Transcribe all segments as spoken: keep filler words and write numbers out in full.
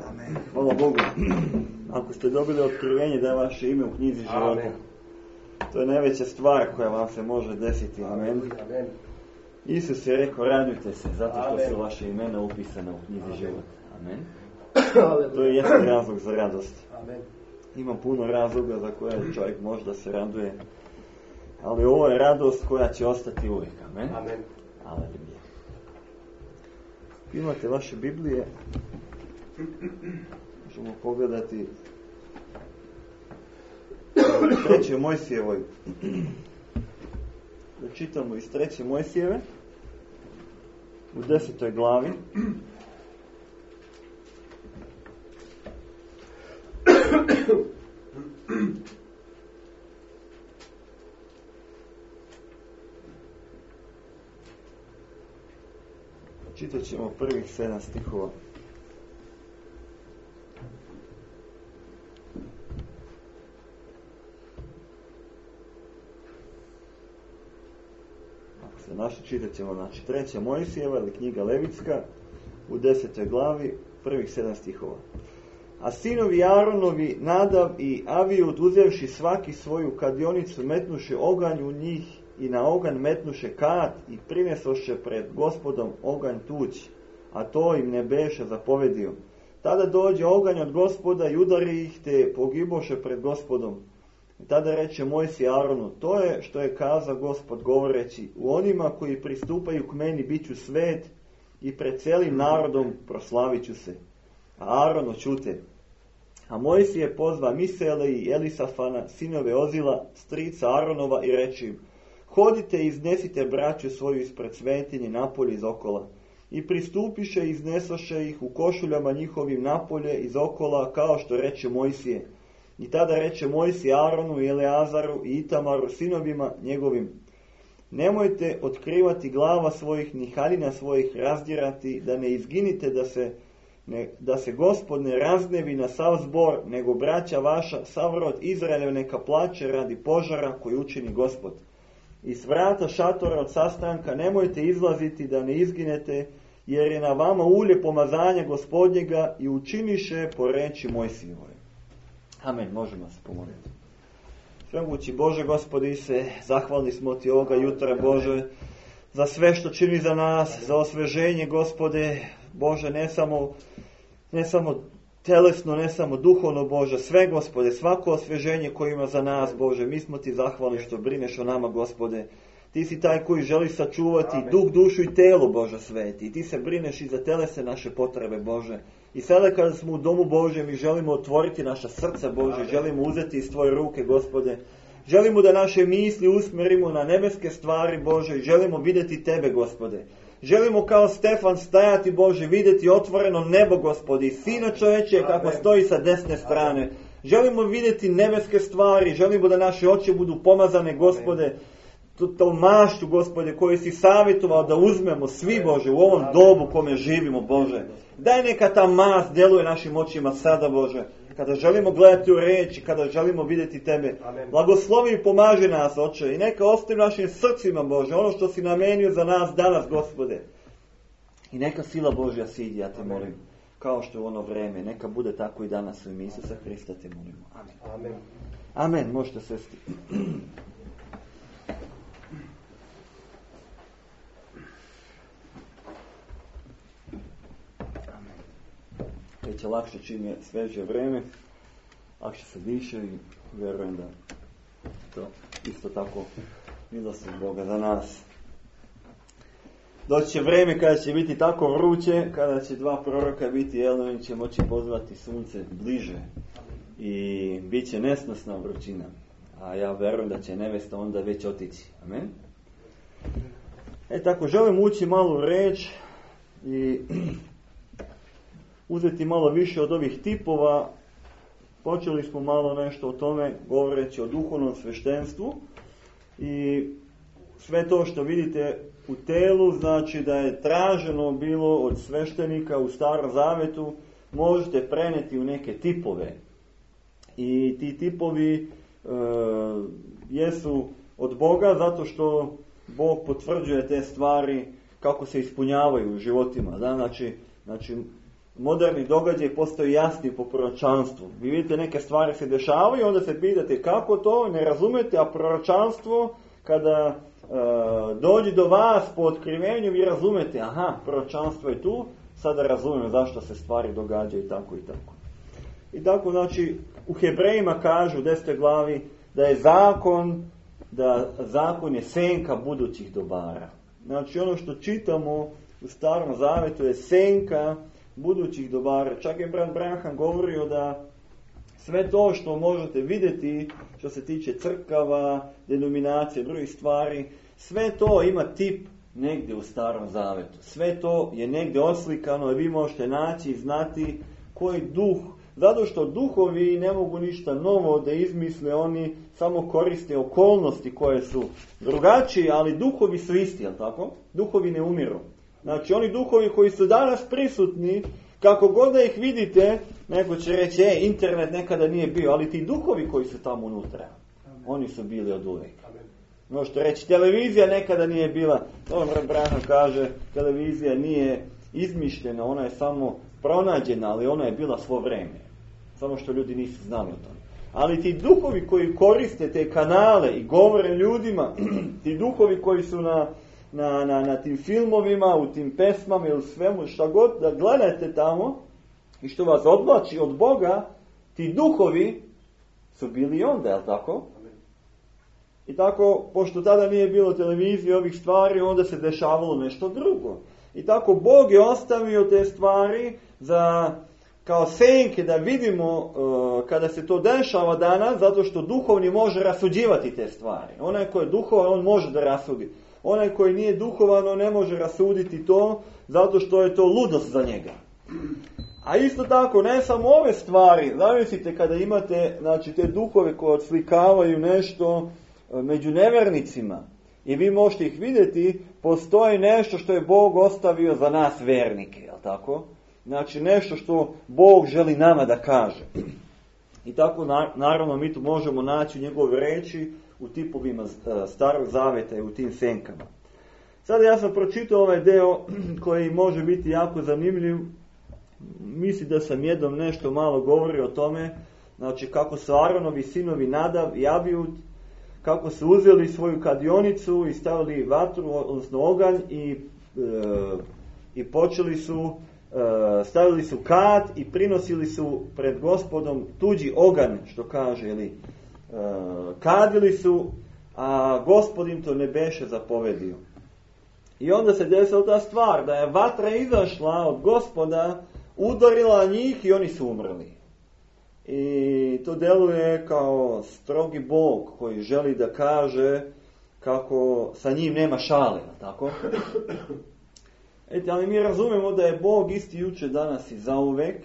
Amen. Hvala Bogu. Ako ste dobili otkrivenje da je vaše ime u knjizi života, Amen. to je najveća stvar koja vam se može desiti. Amen. Amen. Isus je rekao, radujte se zato što Amen. su vaše imena upisana u knjizi života. Amen. Aleluja. To je jedan razlog za radost. Amen. Ima puno razloga za koje čovjek može da se raduje, ali ovo je radost koja će ostati uvijek. Amen. Amen. Aleluja. Imate vaše Biblije, možemo pogledati u trećoj Mojsijevoj. Da čitamo iz treće Mojsijeve u desetoj glavi. Čitat ćemo prvih sedam stihova. Ako se naši, čitat ćemo, znači, treća Mojsijeva ili knjiga Levitska u desetoj glavi, prvih sedam stihova. A sinovi Aronovi, Nadav i Avijud, uzevši svaki svoju kadionicu, metnuše oganj u njih i na oganj metnuše kat i prinesoše pred Gospodom oganj tuđ, a to im ne beše zapovedio. Tada dođe oganj od Gospoda i udari ih, te pogiboše pred Gospodom. I tada reče Mojsije Aronu, to je što je kazao Gospod govoreći, u onima koji pristupaju k meni bit ću svet i pred celim narodom proslavit ću se. A Aron oćute. A Mojsije pozva Misele i Elisafana, sinove Ozila, strica Aronova, i reče im, hodite i iznesite braću svoju ispred svetinje napolje iz okola. I pristupiše i iznesoše ih u košuljama njihovim napolje iz okola, kao što reče Mojsije. I tada reče Mojsije Aronu i Eleazaru i Itamaru, sinovima njegovim, nemojte otkrivati glava svojih ni haljina svojih razdirati, da ne izginite, da se, ne, da se Gospod ne raznevi na sav zbor, nego braća vaša, sav rod Izraeljev neka plaće radi požara koji učini Gospod. Iz vrata šatora od sastanka nemojte izlaziti da ne izginete, jer je na vama ulje pomazanja Gospodnjega, i učiniše po reči Mojsijevoj. Amen, možemo se pomoliti. Svemogući Bože, Gospodi se, zahvalni smo Ti ovoga jutra, Bože, za sve što čini za nas, za osveženje, Gospode, Bože, ne samo, ne samo telesno, ne samo duhovno, Bože, sve, Gospode, svako osveženje koje ima za nas, Bože, mi smo Ti zahvalni što brineš o nama, Gospode. Ti si taj koji želi sačuvati Amen. Duh, dušu i telo, Bože sveti. I Ti se brineš i za telesne naše potrebe, Bože. I sada kada smo u domu Božjem, mi želimo otvoriti naša srca, Bože, Amen. Želimo uzeti iz Tvoje ruke, Gospode. Želimo da naše misli usmerimo na nebeske stvari, Bože, i želimo vidjeti Tebe, Gospode. Želimo kao Stefan stajati, Bože, vidjeti otvoreno nebo, Gospodi, i Sina čoveče kako stoji sa desne strane. Amen. Želimo vidjeti nebeske stvari, želimo da naše oči budu pomazane, Gospode, Amen. To maštu, Gospode, koju si savjetovao da uzmemo svi, Bože, u ovom dobu kome živimo, Bože. Daj neka ta mast djeluje našim očima sada, Bože, kada želimo gledati u reči, kada želimo vidjeti Tebe. Amen. Blagoslovi i pomaži nas, Oče, i neka ostavi našim srcima, Bože, ono što si namenio za nas danas, Gospode. I neka sila Božja siđi, ja Te molim, kao što je ono vreme, neka bude tako i danas u ime Isusa Hrista Te molimo. Amen. Amen. Amen, možete sesti. Već je lakše čim je sveže vreme, lakše se diše i vjerujem da to isto tako milost Boga za nas. Doći će vreme kada će biti tako vruće, kada će dva proroka biti, jel, oni će moći pozvati sunce bliže i bit će nesnosna vrućina. A ja vjerujem da će nevesta onda već otići. Amen. E tako, želim ući malo u reč i uzeti malo više od ovih tipova. Počeli smo malo nešto o tome, govoreći o duhovnom sveštenstvu, i sve to što vidite u telu, znači da je traženo bilo od sveštenika u Starom Zavetu, možete preneti u neke tipove. I ti tipovi e, jesu od Boga, zato što Bog potvrđuje te stvari kako se ispunjavaju u životima. Da? Znači, znači moderni događaj postaju jasni po proročanstvu. Vi vidite neke stvari se dešavaju i onda se pitate kako to, ne razumete, a proročanstvo kada e, dođe do vas po otkrivenju vi razumete, aha, proročanstvo je tu, sada razumijem zašto se stvari događaju i tako i tako. I tako, znači, u Hebrejima kažu u desetoj glavi da je zakon, da zakon je senka budućih dobara. Znači, ono što čitamo u Starom Zavetu je senka budućih dobara. Čak je brat Branham govorio da sve to što možete vidjeti, što se tiče crkava, denominacije, drugih stvari, sve to ima tip negdje u Starom Zavetu. Sve to je negdje oslikano i vi možete naći i znati koji duh. Zato što duhovi ne mogu ništa novo da izmisle, oni samo koriste okolnosti koje su drugačije, ali duhovi su isti, jel tako? Duhovi ne umiru. Znači oni duhovi koji su danas prisutni, kako god da ih vidite, neko će reći, e, internet nekada nije bio, ali ti duhovi koji su tamo unutra, oni su bili od uvijek. Možete reći, televizija nekada nije bila, to Branham kaže, televizija nije izmišljena, ona je samo pronađena, ali ona je bila svo vrijeme. Samo što ljudi nisu znali o tome. Ali ti duhovi koji koriste te kanale i govore ljudima, ti duhovi koji su na, na, na, na tim filmovima, u tim pesmama ili svemu, šta god da gledate tamo i što vas odvlači od Boga, ti duhovi su bili onda, jel tako? I tako, pošto tada nije bilo televizije ovih stvari, onda se dešavalo nešto drugo. I tako Bog je ostavio te stvari za kao senke da vidimo uh, kada se to dešava danas, zato što duhovni može rasuđivati te stvari. Onaj koji je duhovan, on može da rasudi. Onaj koji nije duhovan, on ne može rasuditi to, zato što je to ludost za njega. A isto tako, ne samo ove stvari, zamislite kada imate, znači, te duhove koje odslikavaju nešto među nevernicima i vi možete ih vidjeti, postoji nešto što je Bog ostavio za nas vernike, jel tako? Znači nešto što Bog želi nama da kaže. I tako naravno mi tu možemo naći u njegove reči u tipovima Starog Zaveta i u tim senkama. Sada ja sam pročitao ovaj deo koji može biti jako zanimljiv. Mislim da sam jednom nešto malo govorio o tome. Znači kako su Aronovi sinovi Nadav i Abijud, kako su uzeli svoju kadionicu i stavili vatru, odnosno oganj i, e, i počeli su, e, stavili su kad i prinosili su pred Gospodom tuđi oganj, što kaže, ili e, kadili su, a Gospod im to ne beše zapovedio. I onda se desila ta stvar, da je vatra izašla od Gospoda, udarila njih i oni su umrli. I to deluje kao strogi Bog koji želi da kaže kako sa njim nema šale, tako? Ete, ali mi razumemo da je Bog isti juče, danas i zauvek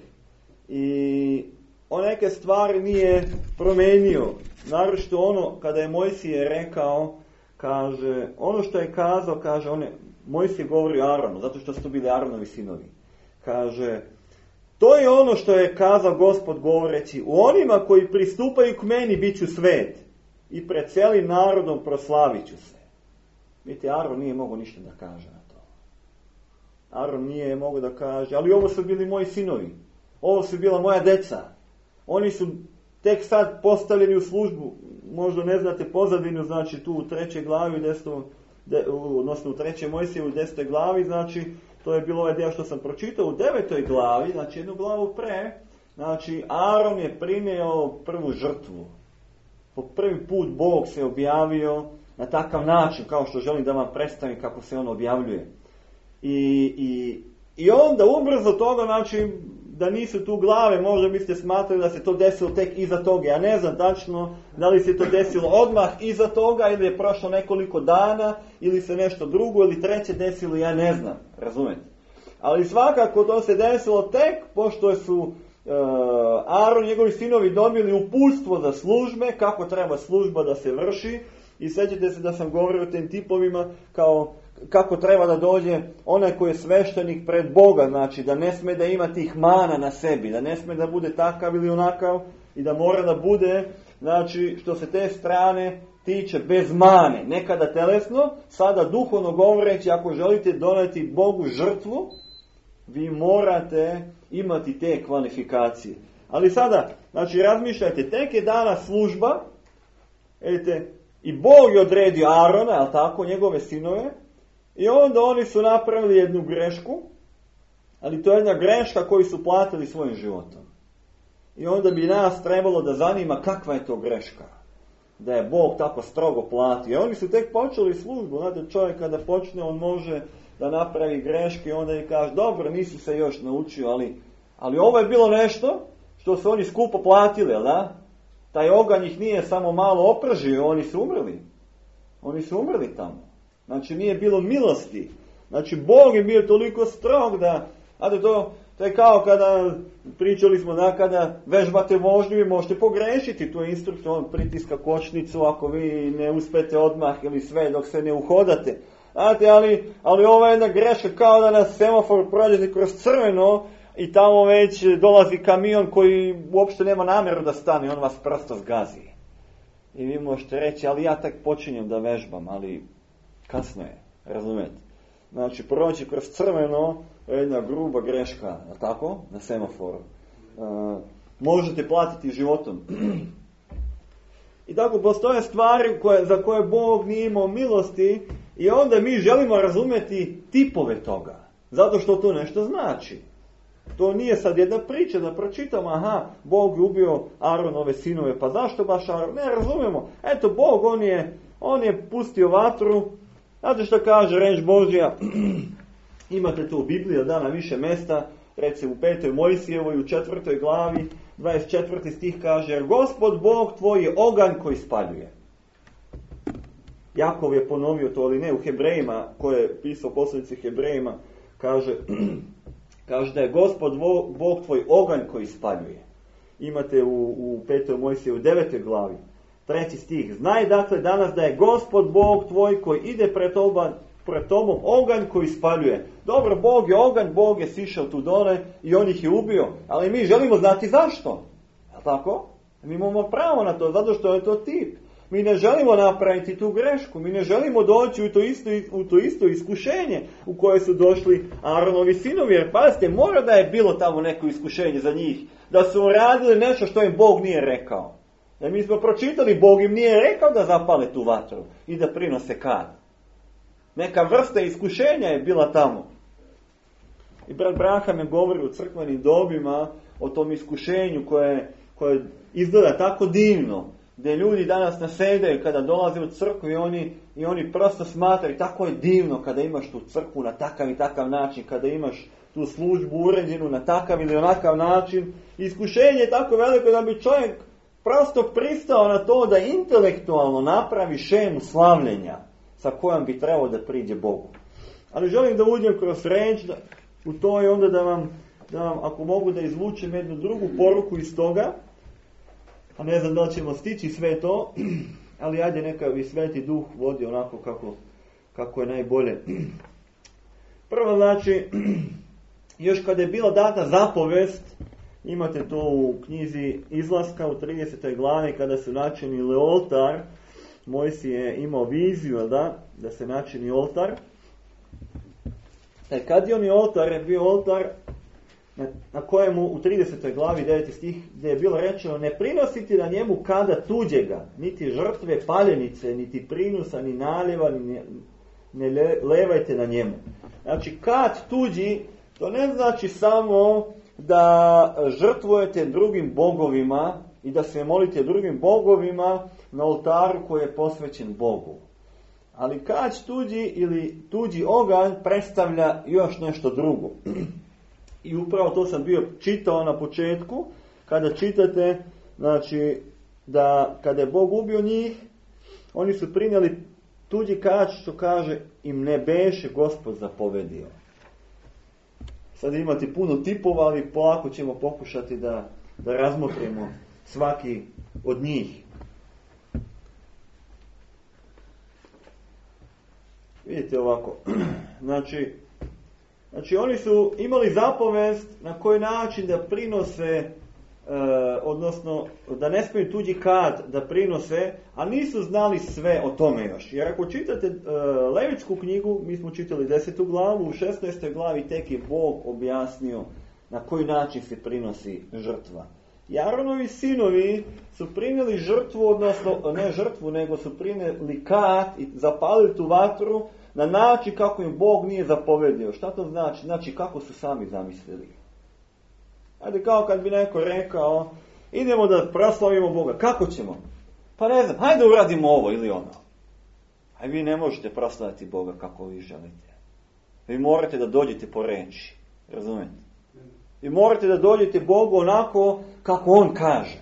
i on neke stvari nije promenio. Naročito ono kada je Mojsije rekao, kaže, ono što je kazao, kaže, on je, Mojsije govori o Aronu, zato što su to bili Aronovi sinovi. Kaže, to je ono što je kazao Gospod govoreći, u onima koji pristupaju k meni bit ću svet i pred cijelim narodom proslavit ću se. Vidite, Aron nije mogao ništa da kaže na to. Aron nije mogao da kaže, ali ovo su bili moji sinovi, ovo su bila moja deca. Oni su tek sad postavljeni u službu, možda ne znate pozadinu, znači tu u trećoj glavi, u desetom, de, odnosno u trećoj Mojsije u desetoj glavi, znači to je bilo ovaj dio što sam pročitao. U devetoj glavi, znači jednu glavu pre, znači Aron je prineo prvu žrtvu. Po prvi put Bog se objavio na takav način, kao što želim da vam predstavim kako se on objavljuje. I, i, i onda ubrzo toga, znači da nisu tu glave, možda biste smatrali da se to desilo tek iza toga. Ja ne znam tačno da li se to desilo odmah iza toga ili je prošlo nekoliko dana ili se nešto drugo ili treće desilo, ja ne znam, razumete. Ali svakako to se desilo tek pošto su uh, Aron i njegovi sinovi dobili uputstvo za službe, kako treba služba da se vrši. I sjećate se da sam govorio o tim tipovima kao kako treba da dođe onaj koji je sveštenik pred Boga, znači da ne sme da ima tih mana na sebi, da ne sme da bude takav ili onakav i da mora da bude, znači što se te strane tiče bez mane, nekada telesno, sada duhovno govoreći, ako želite doneti Bogu žrtvu, vi morate imati te kvalifikacije. Ali sada, znači razmišljajte, tek je dana služba, edite, i Bog je odredio Arona, jel tako, njegove sinove, i onda oni su napravili jednu grešku, ali to je jedna greška koju su platili svojim životom. I onda bi nas trebalo da zanima kakva je to greška. Da je Bog tako strogo platio. I oni su tek počeli službu. Znate, čovjek kada počne, on može da napravi greške i onda je kaže, dobro, nisi se još naučio, ali, ali ovo je bilo nešto što su oni skupo platili, jel da? Taj oganj ih nije samo malo opržio, oni su umrli. Oni su umrli tamo. Znači, nije bilo milosti. Znači, Bog je bio toliko strog da, znate, to, to je kao kada, pričali smo da kada vežbate vožnju i možete pogrešiti. Tu je instruktor, on pritiska kočnicu ako vi ne uspete odmah ili sve dok se ne uhodate. Znate, ali, ali ova je jedna greška kao da nas semafor prođe kroz crveno i tamo već dolazi kamion koji uopšte nema namjeru da stane, on vas prosto zgazi. I vi možete reći, ali ja tak počinjem da vežbam, ali kasno je, razumijete? Znači, proći kroz crveno je jedna gruba greška, je tako? Na semaforu. E, možete platiti životom. I tako postoje stvari koje, za koje Bog nije imao milosti i onda mi želimo razumjeti tipove toga. Zato što to nešto znači. To nije sad jedna priča da pročitamo, aha, Bog je ubio Aronove sinove, pa zašto baš Aron? Ne razumijemo. Eto, Bog, on je, on je pustio vatru. Znate što kaže reč Božja? Imate to u Bibliji, da na više mjesta, recimo u petoj Mojsijevoj, u četvrtoj glavi, dvadeset četvrti stih kaže, jer Gospod Bog tvoj je oganj koji spaljuje. Jakov je ponovio to, ali ne u Hebrejima, koje je pisao poslanici Hebrejima, kaže, kaže da je Gospod Bog tvoj oganj koji spaljuje. Imate u, u petoj Mojsijevoj, u devetoj glavi, treći stih. Znaj dakle danas da je Gospod Bog tvoj koji ide pred tobom, pred tobom oganj koji spaljuje. Dobro, Bog je oganj, Bog je sišao tu dole i on ih je ubio. Ali mi želimo znati zašto. Je li tako? Mi imamo pravo na to, zato što je to tip. Mi ne želimo napraviti tu grešku. Mi ne želimo doći u to isto, u to isto iskušenje u koje su došli Aronovi sinovi. Jer pazite, mora da je bilo tamo neko iskušenje za njih. Da su uradili nešto što im Bog nije rekao. Jer mi smo pročitali, Bog im nije rekao da zapale tu vatru i da prinose kad. Neka vrsta iskušenja je bila tamo. I brat Braham je govori u crkvenim dobima o tom iskušenju koje, koje izgleda tako divno. Gdje ljudi danas nasedaju kada dolaze u crkvu i oni, i oni prosto smatraju tako je divno kada imaš tu crkvu na takav i takav način, kada imaš tu službu uređenu na takav ili onakav način. Iskušenje je tako veliko da bi čovjek prosto pristao na to da intelektualno napravi šemu slavljenja sa kojom bi trebao da priđe Bogu. Ali želim da uđem kroz reč da, u to i onda da vam, da vam, ako mogu da izvučem jednu drugu poruku iz toga, a ne znam da li ćemo stići sve to, ali ajde neka bi Sveti Duh vodi onako kako, kako je najbolje. Prvo znači, još kada je bila data zapovest, imate to u knjizi Izlaska u tridesetoj glavi kada su načinili oltar. Mojsije je imao viziju da, da se načini oltar. E, kad je on je oltar, je bio oltar na, na kojemu u tridesetoj glavi deveti stih gdje je bilo rečeno ne prinositi na njemu kada tuđega, niti žrtve paljenice, niti prinusa, ni naljeva, ni ne, ne le, levajte na njemu. Znači kad tuđi, to ne znači samo da žrtvujete drugim bogovima i da se molite drugim bogovima na oltaru koji je posvećen Bogu. Ali kać tuđi ili tuđi oganj predstavlja još nešto drugo. I upravo to sam bio čitao na početku, kada čitate, znači, da kada je Bog ubio njih, oni su prinijeli tuđi kać, što kaže, im ne beše Gospod zapovedio. Sad imate puno tipova, ali polako ćemo pokušati da, da razmotrimo svaki od njih. Vidite ovako, znači, znači oni su imali zapovest na koji način da prinose, e, odnosno da ne smiju tuđi kad da prinose, a nisu znali sve o tome još. Jer ako čitate e, Levitsku knjigu, mi smo čitali desetu glavu, u šesnaestoj glavi tek je Bog objasnio, na koji način se prinosi žrtva. I Aaronovi sinovi su prinijeli žrtvu, odnosno ne žrtvu, nego su prinijeli kat i zapalili tu vatru na način kako im Bog nije zapovedio. Šta to znači? Znači kako su sami zamislili. Ajde, kao kad bi neko rekao, idemo da proslavimo Boga. Kako ćemo? Pa ne znam, hajde uradimo ovo ili ono. A vi ne možete proslaviti Boga kako vi želite. Vi morate da dođete po reči. Razumete? Vi morate da dođete Bogu onako kako On kaže.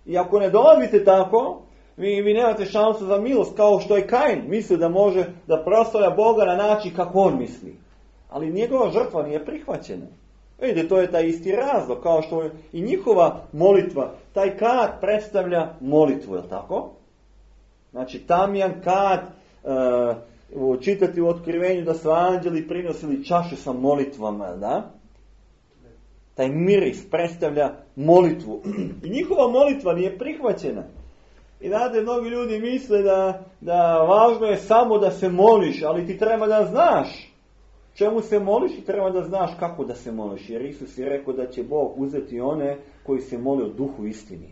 I ako ne dolazite tako, vi, vi nemate šansu za milost, kao što je Kain mislio da može da proslavlja Boga na način kako on misli. Ali njegova žrtva nije prihvaćena. Vidite, to je taj isti razlog, kao što je i njihova molitva. Taj kat predstavlja molitvu, je li tako? Znači, tamjan kat, uh, čitati u Otkrivenju da su anđeli prinosili čaše sa molitvama, da? Taj miris predstavlja molitvu. I njihova molitva nije prihvaćena. I znate, mnogi ljudi misle da, da važno je samo da se moliš, ali ti treba da znaš čemu se moliš i treba da znaš kako da se moliš. Jer Isus je rekao da će Bog uzeti one koji se mole o duhu istini,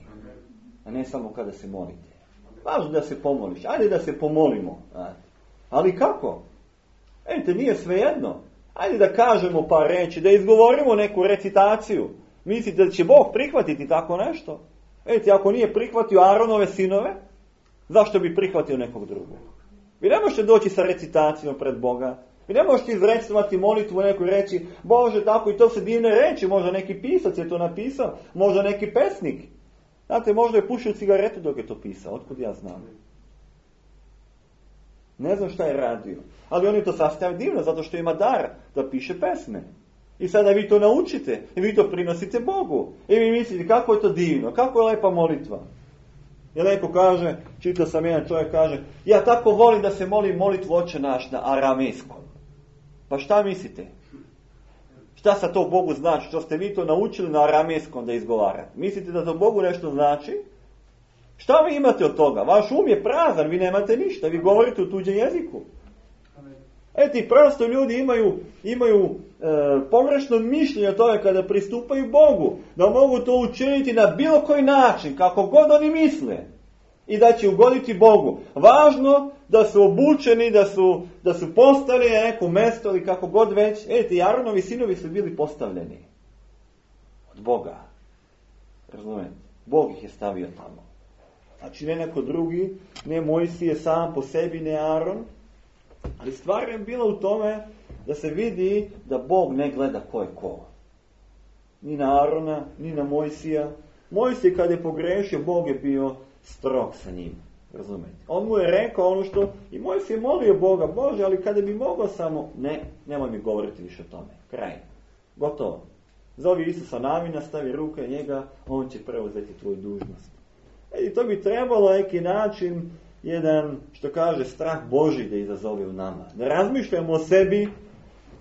a ne samo kada se molite. Važno da se pomoliš. Ajde da se pomolimo. Ali kako? Ejte, nije svejedno. Ajde da kažemo par reči, da izgovorimo neku recitaciju. Mislite da će Bog prihvatiti tako nešto? Ejte, ako nije prihvatio Aaronove sinove, zašto bi prihvatio nekog drugog? Vi ne možete doći sa recitacijom pred Boga. Vi ne možete izrecovati molitvu nekoj reći, Bože, tako i to se divne reči, možda neki pisac je to napisao, možda neki pesnik. Znate, možda je pušio cigaretu dok je to pisao, otkud ja znam. Ne znam šta je radio, ali on je to sastavio divno, zato što ima dar da piše pesme. I sada vi to naučite, i vi to prinosite Bogu. I vi mislite, kako je to divno, kako je lepa molitva. I neko kaže, čitao sam jedan čovjek kaže, ja tako volim da se molim molitvu Oče naš na aramejskom. Pa šta mislite? Šta sa to Bogu znači? Što ste vi to naučili na aramejskom da izgovarate? Mislite da to Bogu nešto znači? Šta vi imate od toga? Vaš um je prazan, vi nemate ništa, vi govorite u tuđem jeziku. Eto, i prosto ljudi imaju, imaju e, pogrešno mišljenje o tome kada pristupaju Bogu, da mogu to učiniti na bilo koji način, kako god oni misle, i da će ugoditi Bogu. Važno da su obučeni, da su, da su postavljeni na neko mesto ili kako god već. Eto, i Aaronovi sinovi su bili postavljeni od Boga. Razumete? Bog ih je stavio tamo. Znači ne neko drugi, ne Mojsije sam po sebi, ne Aaron. Ali stvar je bila u tome da se vidi da Bog ne gleda ko je ko. Ni na Arona, ni na Mojsija. Mojsije kad je pogrešio, Bog je bio strog sa njim. Razumete? On mu je rekao ono što i Mojsije molio Boga, Bože, ali kada bi mogao samo, ne, nemoj mi govoriti više o tome. Kraj. Gotovo. Zovi Isusa Navina, stavi ruke njega, on će preuzeti tvoju dužnost. I to bi trebalo neki način, jedan, što kaže, strah Božji da izazove u nama. Da razmišljamo o sebi,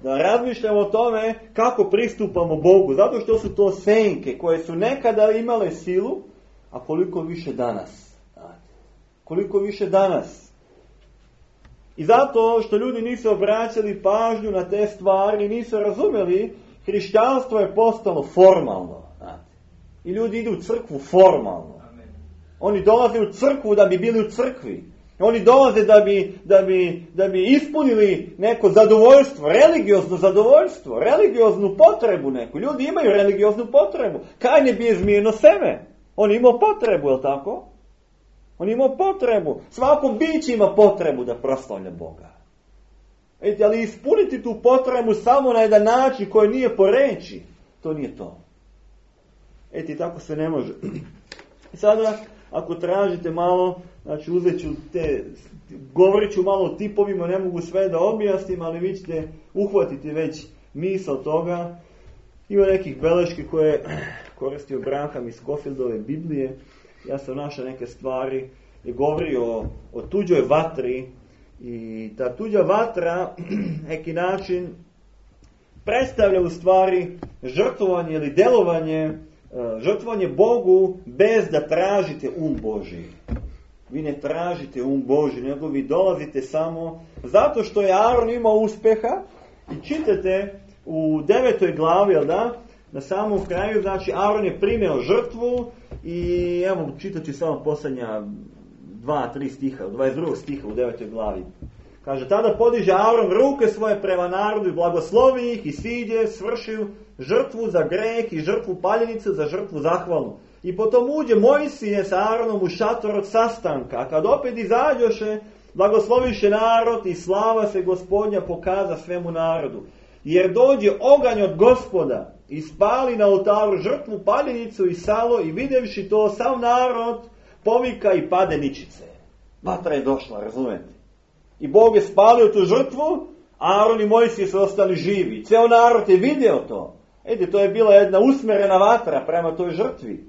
da razmišljamo o tome kako pristupamo Bogu. Zato što su to senke koje su nekada imale silu, a koliko više danas. Koliko više danas. I zato što ljudi nisu obraćali pažnju na te stvari, nisu razumeli, hrišćanstvo je postalo formalno. I ljudi idu u crkvu formalno. Oni dolaze u crkvu da bi bili u crkvi. Oni dolaze da bi, da bi, da bi ispunili neko zadovoljstvo, religiozno zadovoljstvo, religioznu potrebu neku. Ljudi imaju religioznu potrebu. Kain je bio zmijeno seme. On imao potrebu, je li tako? On imao potrebu. Svako biće ima potrebu da proslavlja Boga. Eti, ali ispuniti tu potrebu samo na jedan način koji nije po reči, to nije to. Eti, tako se ne može. I sada, ako tražite malo, znači uzet ću te, govorit ću malo o tipovima, ne mogu sve da objasnim, ali vi ćete uhvatiti već misao toga. Ima nekih beleški koje koristio Branham iz Scofieldove Biblije. Ja sam našao neke stvari i govori o, o tuđoj vatri. I ta tuđa vatra, neki način, predstavlja u stvari žrtvovanje ili delovanje, žrtvovanje Bogu bez da tražite um Božji. Vi ne tražite um Božji, nego vi dolazite samo zato što je Aaron imao uspeha i čitate u devetoj glavi, jel da, na samom kraju, znači Aron je primio žrtvu i evo čitat ću samo posljednja dva, tri stiha, dvadeset drugog stiha u devetoj glavi. Kaže, tada podiže Aron ruke svoje prema narodu i blagoslovi ih i siđe, svršio žrtvu za greh i žrtvu paljenicu za žrtvu zahvalnu. I potom uđe Mojsije sa Aronom u šator od sastanka, a kad opet izađoše, blagosloviše narod i slava se Gospodnja pokaza svemu narodu. Jer dođe oganj od Gospoda i spali na oltaru žrtvu paljenicu i salo i vidjevši to sav narod povika i pade ničice. Vatra je došla, razumete? I Bog je spalio tu žrtvu, Aron i Mojsije su ostali živi. Ceo narod je vidio to. Ede, to je bila jedna usmjerena vatra prema toj žrtvi.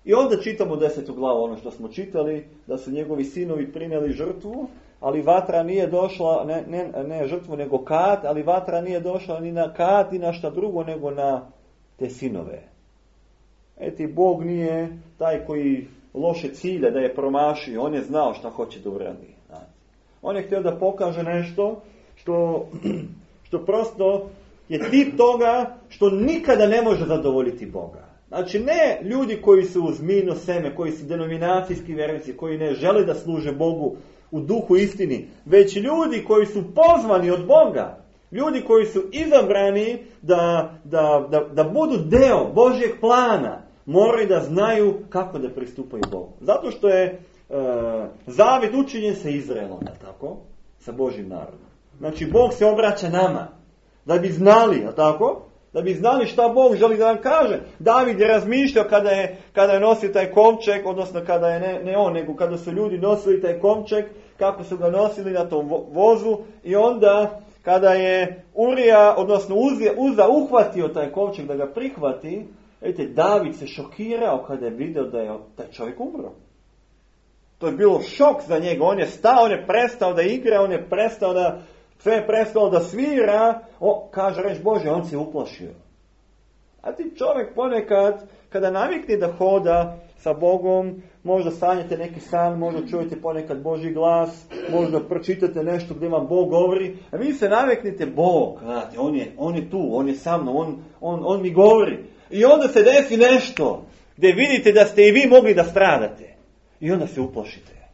I onda čitamo desetu glavu, ono što smo čitali, da su njegovi sinovi prinijeli žrtvu, ali vatra nije došla, ne, ne, ne žrtvu nego kat, ali vatra nije došla ni na kat, ni na šta drugo, nego na te sinove. Eti, Bog nije taj koji loše cilja da je promašio, on je znao šta hoće da uradi. On je htio da pokaže nešto što, što prosto je tip toga što nikada ne može zadovoljiti Boga. Znači ne ljudi koji su uz mino seme, koji su denominacijski vjernici, koji ne žele da služe Bogu u duhu istini, već ljudi koji su pozvani od Boga, ljudi koji su izabrani da, da, da, da budu deo Božjeg plana, moraju da znaju kako da pristupaju Bogu. Zato što je e, zavjet učinjen sa Izraelom, tako? Sa Božjim narodom. Znači Bog se obraća nama, da bi znali, tako? Da bi znali šta Bog želi da nam kaže. David je razmišljao kada je, kada je nosio taj kovčeg, odnosno kada je ne, ne on, nego kada su ljudi nosili taj kovčeg, kako su ga nosili na tom vozu, i onda kada je Urija, odnosno Uza, Uza uhvatio taj kovčeg da ga prihvati, vidite, David se šokirao kada je vidio da je taj čovjek umro. To je bilo šok za njega. On je stao, on je prestao da igra, on je prestao da, sve je prestao da svira. O, kaže reč Bože, on se uplašio. A ti čovjek ponekad, kada navikne da hoda sa Bogom, možda sanjate neki san, možda čujete ponekad Božji glas, možda pročitate nešto gdje vam Bog govori, a vi se naviknete Bog, znate, on je, on je tu, on je sa mnom, on, on, on mi govori. I onda se desi nešto gdje vidite da ste i vi mogli da stradate. I onda se uplašite.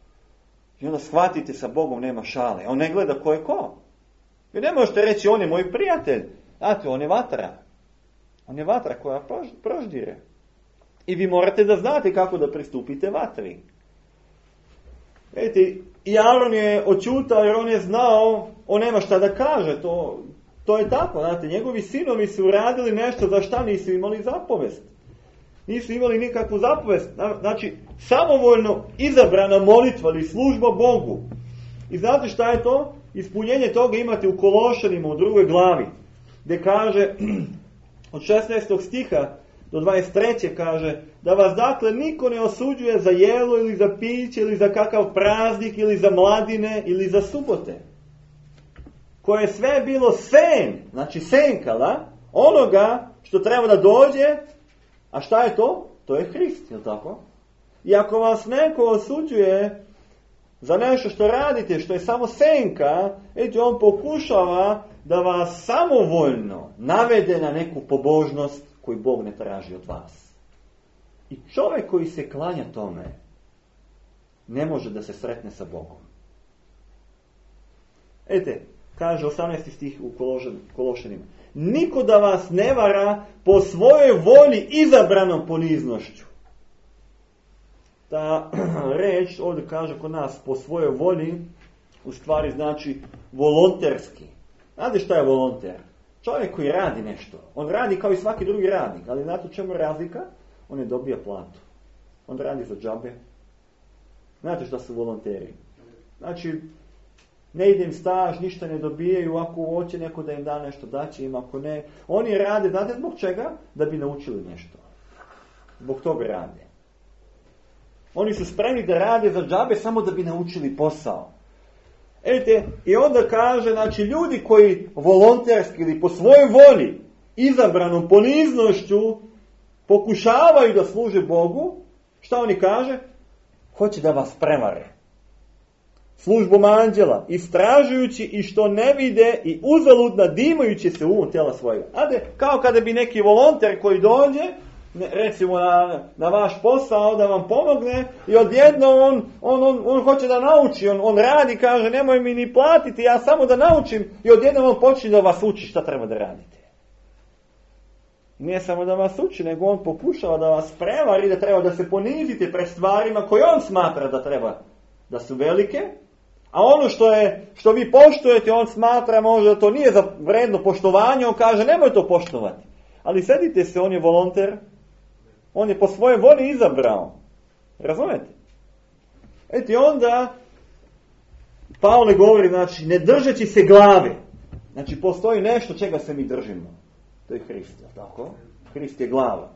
I onda shvatite sa Bogom nema šale. On ne gleda ko je ko. Vi ne možete reći on je moj prijatelj. Znate, on je vatra. On je vatra koja proždire. I vi morate da znate kako da pristupite vatri. Vidite, i Aron je očutao jer on je znao, on nema šta da kaže. To, to je tako, znate, njegovi sinovi su uradili nešto za šta nisu imali zapovest. Nisu imali nikakvu zapovest. Znači, samovoljno izabrana molitva ili služba Bogu. I znate šta je to? Ispunjenje toga imate u Kološanima u drugoj glavi. Gdje kaže, od šesnaestog stiha do dvadeset trećeg kaže, da vas dakle niko ne osuđuje za jelo ili za piće ili za kakav praznik ili za mladine ili za subote. Koje je sve bilo sen, znači senkala, onoga što treba da dođe. A šta je to? To je Hrist, jel tako? I ako vas neko osuđuje za nešto što radite, što je samo senka, eto, on pokušava da vas samovoljno navede na neku pobožnost koju Bog ne traži od vas. I čovjek koji se klanja tome, ne može da se sretne sa Bogom. Ete, kaže osamnaesti stih u Kološanima. Niko da vas ne vara po svojoj volji izabranom poniznošću. Ta reč ovdje kaže kod nas po svojoj volji, u stvari znači volonterski. Znate šta je volonter? Čovjek koji radi nešto. On radi kao i svaki drugi radnik, ali znate u čemu je razlika? On ne dobija platu. On radi za džabe. Znate šta su volonteri? Znači, ne ide im staž, ništa ne dobijaju, ako hoće neko da im da nešto, daće im, ako ne. Oni rade, znate zbog čega? Da bi naučili nešto. Zbog toga rade. Oni su spremni da rade za džabe samo da bi naučili posao. Vidite, i onda kaže, znači ljudi koji volonterski ili po svojoj volji, izabranom poniznošću, pokušavaju da služe Bogu, šta oni kaže? Hoće da vas prevare. službom anđela, istražujući i što ne vide i uzalud nadimajući se um tela svojega. Ade, kao kada bi neki volonter koji dođe, ne, recimo na, na vaš posao da vam pomogne i odjedno on, on, on, on hoće da nauči, on, on radi, kaže nemoj mi ni platiti, ja samo da naučim i odjedno on počne da vas uči šta treba da radite. Nije samo da vas uči, nego on pokušava da vas prevari, da treba da se ponizite pred stvarima koje on smatra da treba da su velike, a ono što je što vi poštujete, on smatra možda da to nije za vredno poštovanje, on kaže nemoj to poštovati. Ali sedite se, on je volonter, on je po svoje volji izabrao. Razumete? Eti onda Pavle govori, znači, ne držeći se glave. Znači, postoji nešto čega se mi držimo. To je Hrist, tako? Hrist je glava.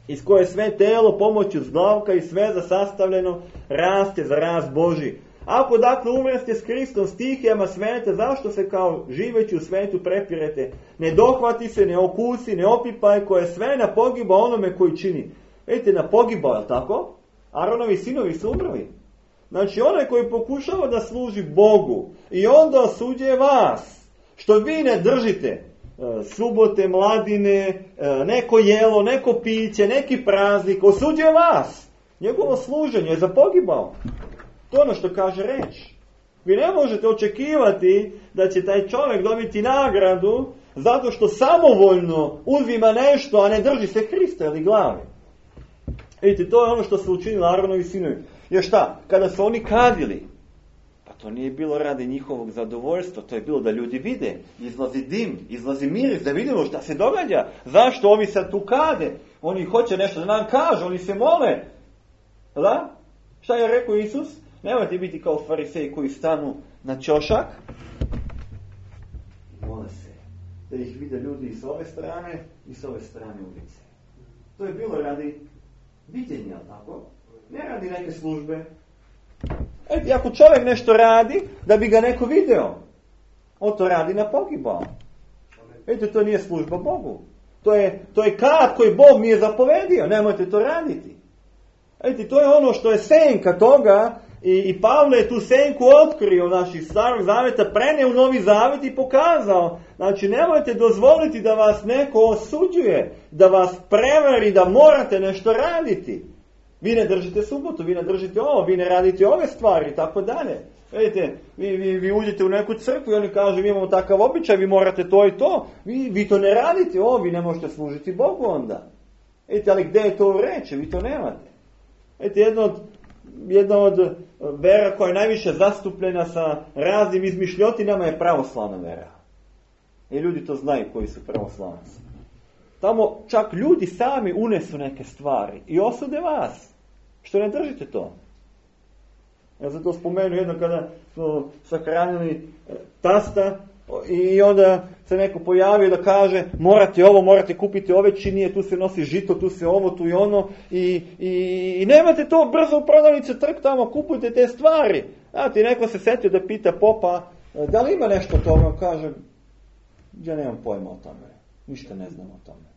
Iz koje sve telo pomoću zglavka i sveza sastavljeno raste za rast Božji. Ako dakle umreste s Hristom stihijama sveta, zašto se kao živeći u svetu prepirete? Ne dohvati se, ne okusi, ne opipaj, koje sve na pogiba onome koji čini. Vidite, na pogiba, je tako? Aronovi sinovi su umrli. Znači, onaj koji pokušava da služi Bogu i onda osuđuje vas, što vi ne držite subote, mladine, neko jelo, neko piće, neki praznik, osuđuje vas. Njegovo služenje je za pogibao. To je ono što kaže reč. Vi ne možete očekivati da će taj čovjek dobiti nagradu zato što samovoljno uzima nešto, a ne drži se Hrista ili glave. Vidite, to je ono što su učinili Aronovi sinovi. Jer šta? Kada su oni kadili, pa to nije bilo radi njihovog zadovoljstva, to je bilo da ljudi vide. Izlazi dim, izlazi miris, da vidimo šta se događa. Zašto ovi sad tu kade? Oni hoće nešto da nam kažu, oni se mole. Da? Šta je rekao Isus? Nemojte biti kao fariseji koji stanu na ćošak. Mole se. Da ih vide ljudi i s ove strane i s ove strane ulice. To je bilo radi viđenja, tako? Ne radi neke službe. Eti, ako čovjek nešto radi, da bi ga neko video, on to radi na pogibao. Eti, to nije služba Bogu. To je, to je kat koji Bog mi je zapovedio. Nemojte to raditi. Eti, to je ono što je senka toga. I, i Pavle je tu senku otkrio naših starog zaveta, preneo u Novi Zavet i pokazao. Znači, nemojte dozvoliti da vas neko osuđuje, da vas prevari, da morate nešto raditi. Vi ne držite subotu, vi ne držite ovo, vi ne radite ove stvari i tako dalje. Vidite, vi, vi, vi uđete u neku crkvu i oni kažu mi imamo takav običaj, vi morate to i to. Vi, vi to ne radite, ovo, vi ne možete služiti Bogu onda. Vidite, ali gdje je to u reči? Vi to nemate. Vidite, jedno od Jedna od vera koja je najviše zastupljena sa raznim izmišljotinama je pravoslavna vera. I ljudi to znaju koji su pravoslavnici. Tamo čak ljudi sami unesu neke stvari i osude vas. Što ne držite to? Ja sam to spomenuo jedno kada smo sahranili tasta i onda se neko pojavio da kaže morate ovo, morate kupiti ove činije, tu se nosi žito, tu se ovo, tu i ono i, i, i nemate to brzo u prodavnici, trk tamo, kupujte te stvari. Znate, neko se setio da pita popa da li ima nešto o tome, on kaže ja nemam pojma o tome, ništa ne znam o tome.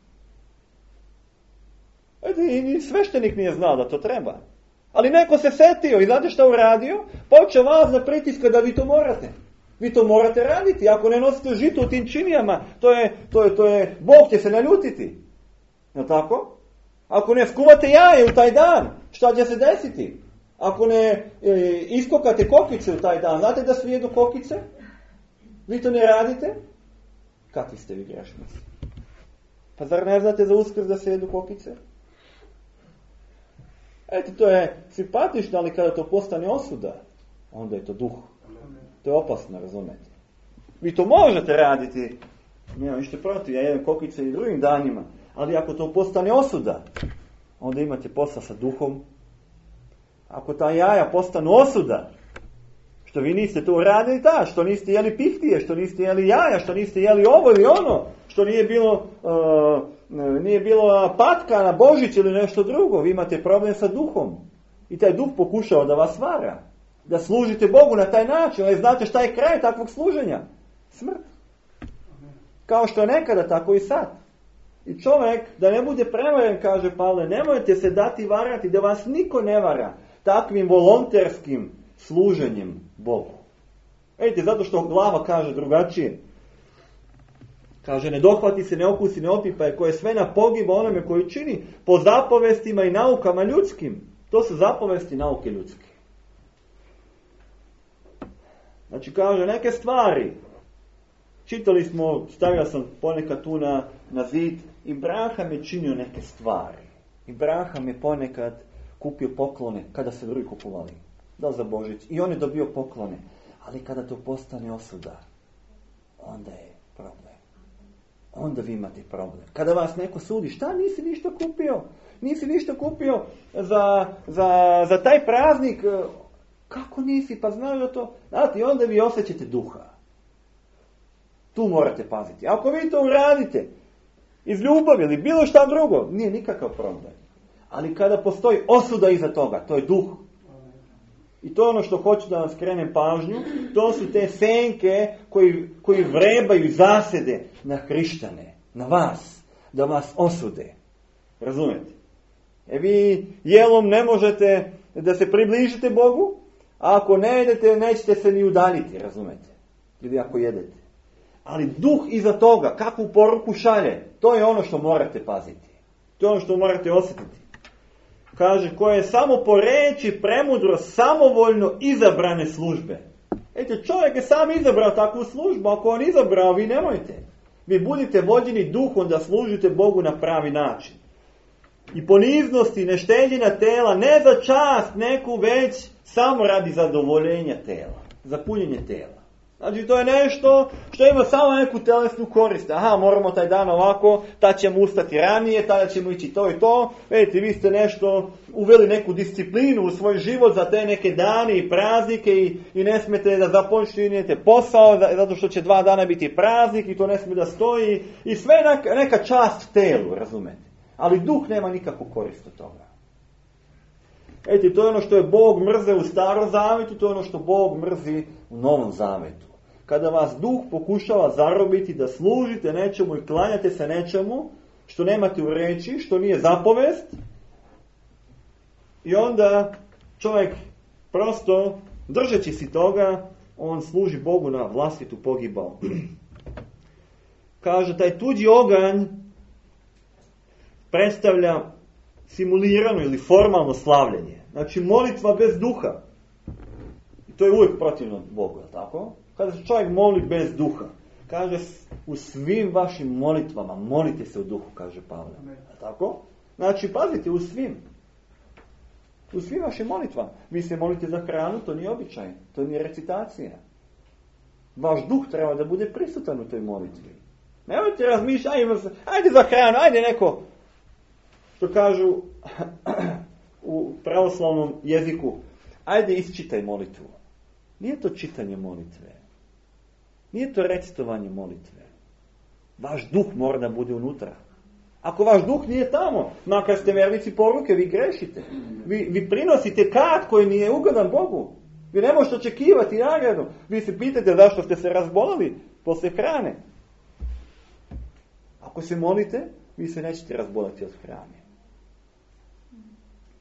I ni sveštenik nije znao da to treba. Ali neko se setio i znate šta uradio? Počeo vas da pritiska da vi to morate. Vi to morate raditi. Ako ne nosite žito u tim činijama, to je, to je, to je, Bog će se naljutiti. Je tako? Ako ne skuvate jaje u taj dan, šta će se desiti? Ako ne e, iskokate kokice u taj dan, znate da svi jedu kokice? Vi to ne radite? Kakvi ste vi grešnici? Pa zar ne znate za Uskrs da se jedu kokice? Eto, to je simpatično, ali kada to postane osuda, onda je to duh. To je opasno, razumete. Vi to možete raditi, nemam ništa protiv, ja jedem kokice i drugim danima, ali ako to postane osuda, onda imate posla sa duhom. Ako ta jaja postanu osuda, što vi niste to uradili, da, što niste jeli pihtije, što niste jeli jaja, što niste jeli ovo ili ono, što nije bilo, uh, nije bilo patka na Božić ili nešto drugo, vi imate problem sa duhom. I taj duh pokušao da vas vara. Da služite Bogu na taj način, ali znate šta je kraj takvog služenja? Smrt. Kao što je nekada, tako i sad. I čovjek, da ne bude prevaren, kaže Pavle, nemojte se dati varati, da vas niko ne vara takvim volonterskim služenjem Bogu. Vidite, zato što glava kaže drugačije. Kaže, ne dohvati se, ne okusi, ne opipaj, koje sve na pogiba onome koji čini po zapovestima i naukama ljudskim. To su zapovesti i nauke ljudske. Znači, kaže, neke stvari. Čitali smo, stavio sam ponekad tu na, na zid, Ibrahim je činio neke stvari. Ibrahim je ponekad kupio poklone kada se drugi kupovali. Da za Božić. I on je dobio poklone. Ali kada to postane osuda, onda je problem. Onda vi imate problem. Kada vas neko sudi, šta nisi ništa kupio? Nisi ništa kupio za, za, za taj praznik? Kako nisi? Pa znaš da to... Znate, onda vi osjećate duha. Tu morate paziti. Ako vi to uradite iz ljubavi ili bilo šta drugo, nije nikakav problem. Ali kada postoji osuda iza toga, to je duh. I to je ono što hoću da vam skrenem pažnju, to su te senke koji, koji vrebaju i zasede na hrišćane, na vas, da vas osude. Razumijete? E vi jelom ne možete da se približite Bogu, a ako ne jedete, nećete se ni udaljiti, razumijete? Ili ako jedete. Ali duh iza toga, kakvu poruku šalje, to je ono što morate paziti. To je ono što morate osjetiti. Kaže, koje je samo po reči premudro, samovoljno izabrane službe. Ete, čovjek je sam izabrao takvu službu, ako on izabrao, vi nemojte. Vi budite vođeni duhom da služite Bogu na pravi način. I poniznosti, nešteđenja tela, ne za čast neku, već samo radi zadovoljenja tela, za punjenje tela. Znači, to je nešto što ima samo neku telesnu korist. Aha, moramo taj dan ovako, tad ćemo ustati ranije, tada ćemo ići to i to. Vidite, vi ste nešto uveli neku disciplinu u svoj život za te neke dane i praznike i, i ne smijete da započinjete posao zato što će dva dana biti praznik i to ne smije da stoji. I sve neka, neka čast telu, razumete. Ali duh nema nikakvu korist od toga. Vidite, to je ono što je Bog mrze u Starom Zavetu, to je ono što Bog mrzi u Novom Zavetu. Kada vas duh pokušava zarobiti da služite nečemu i klanjate se nečemu što nemate u reči, što nije zapovest, i onda čovjek prosto, držeći si toga, on služi Bogu na vlastitu pogibao. Kaže, taj tuđi oganj predstavlja simulirano ili formalno slavljenje. Znači, molitva bez duha. I to je uvijek protivno Bogu, je tako? Kada se čovjek moli bez duha, kaže, u svim vašim molitvama molite se u duhu, kaže Pavle. Je tako? Znači, pazite, u svim. U svim vašim molitvama. Vi se molite za hranu, to nije običaj, to nije recitacija. Vaš duh treba da bude prisutan u toj molitvi. Nemojte razmišljati, ajde, ajde za hranu, ajde neko, što kažu u pravoslavnom jeziku, ajde isčitaj molitvu. Nije to čitanje molitve. Nije to recitovanje molitve. Vaš duh mora da bude unutra. Ako vaš duh nije tamo, makar ste vernici poruke, vi grešite. Vi, vi prinosite kat koji nije ugodan Bogu. Vi ne možete očekivati nagradu. Vi se pitate zašto ste se razbolili posle hrane. Ako se molite, vi se nećete razboliti od hrane.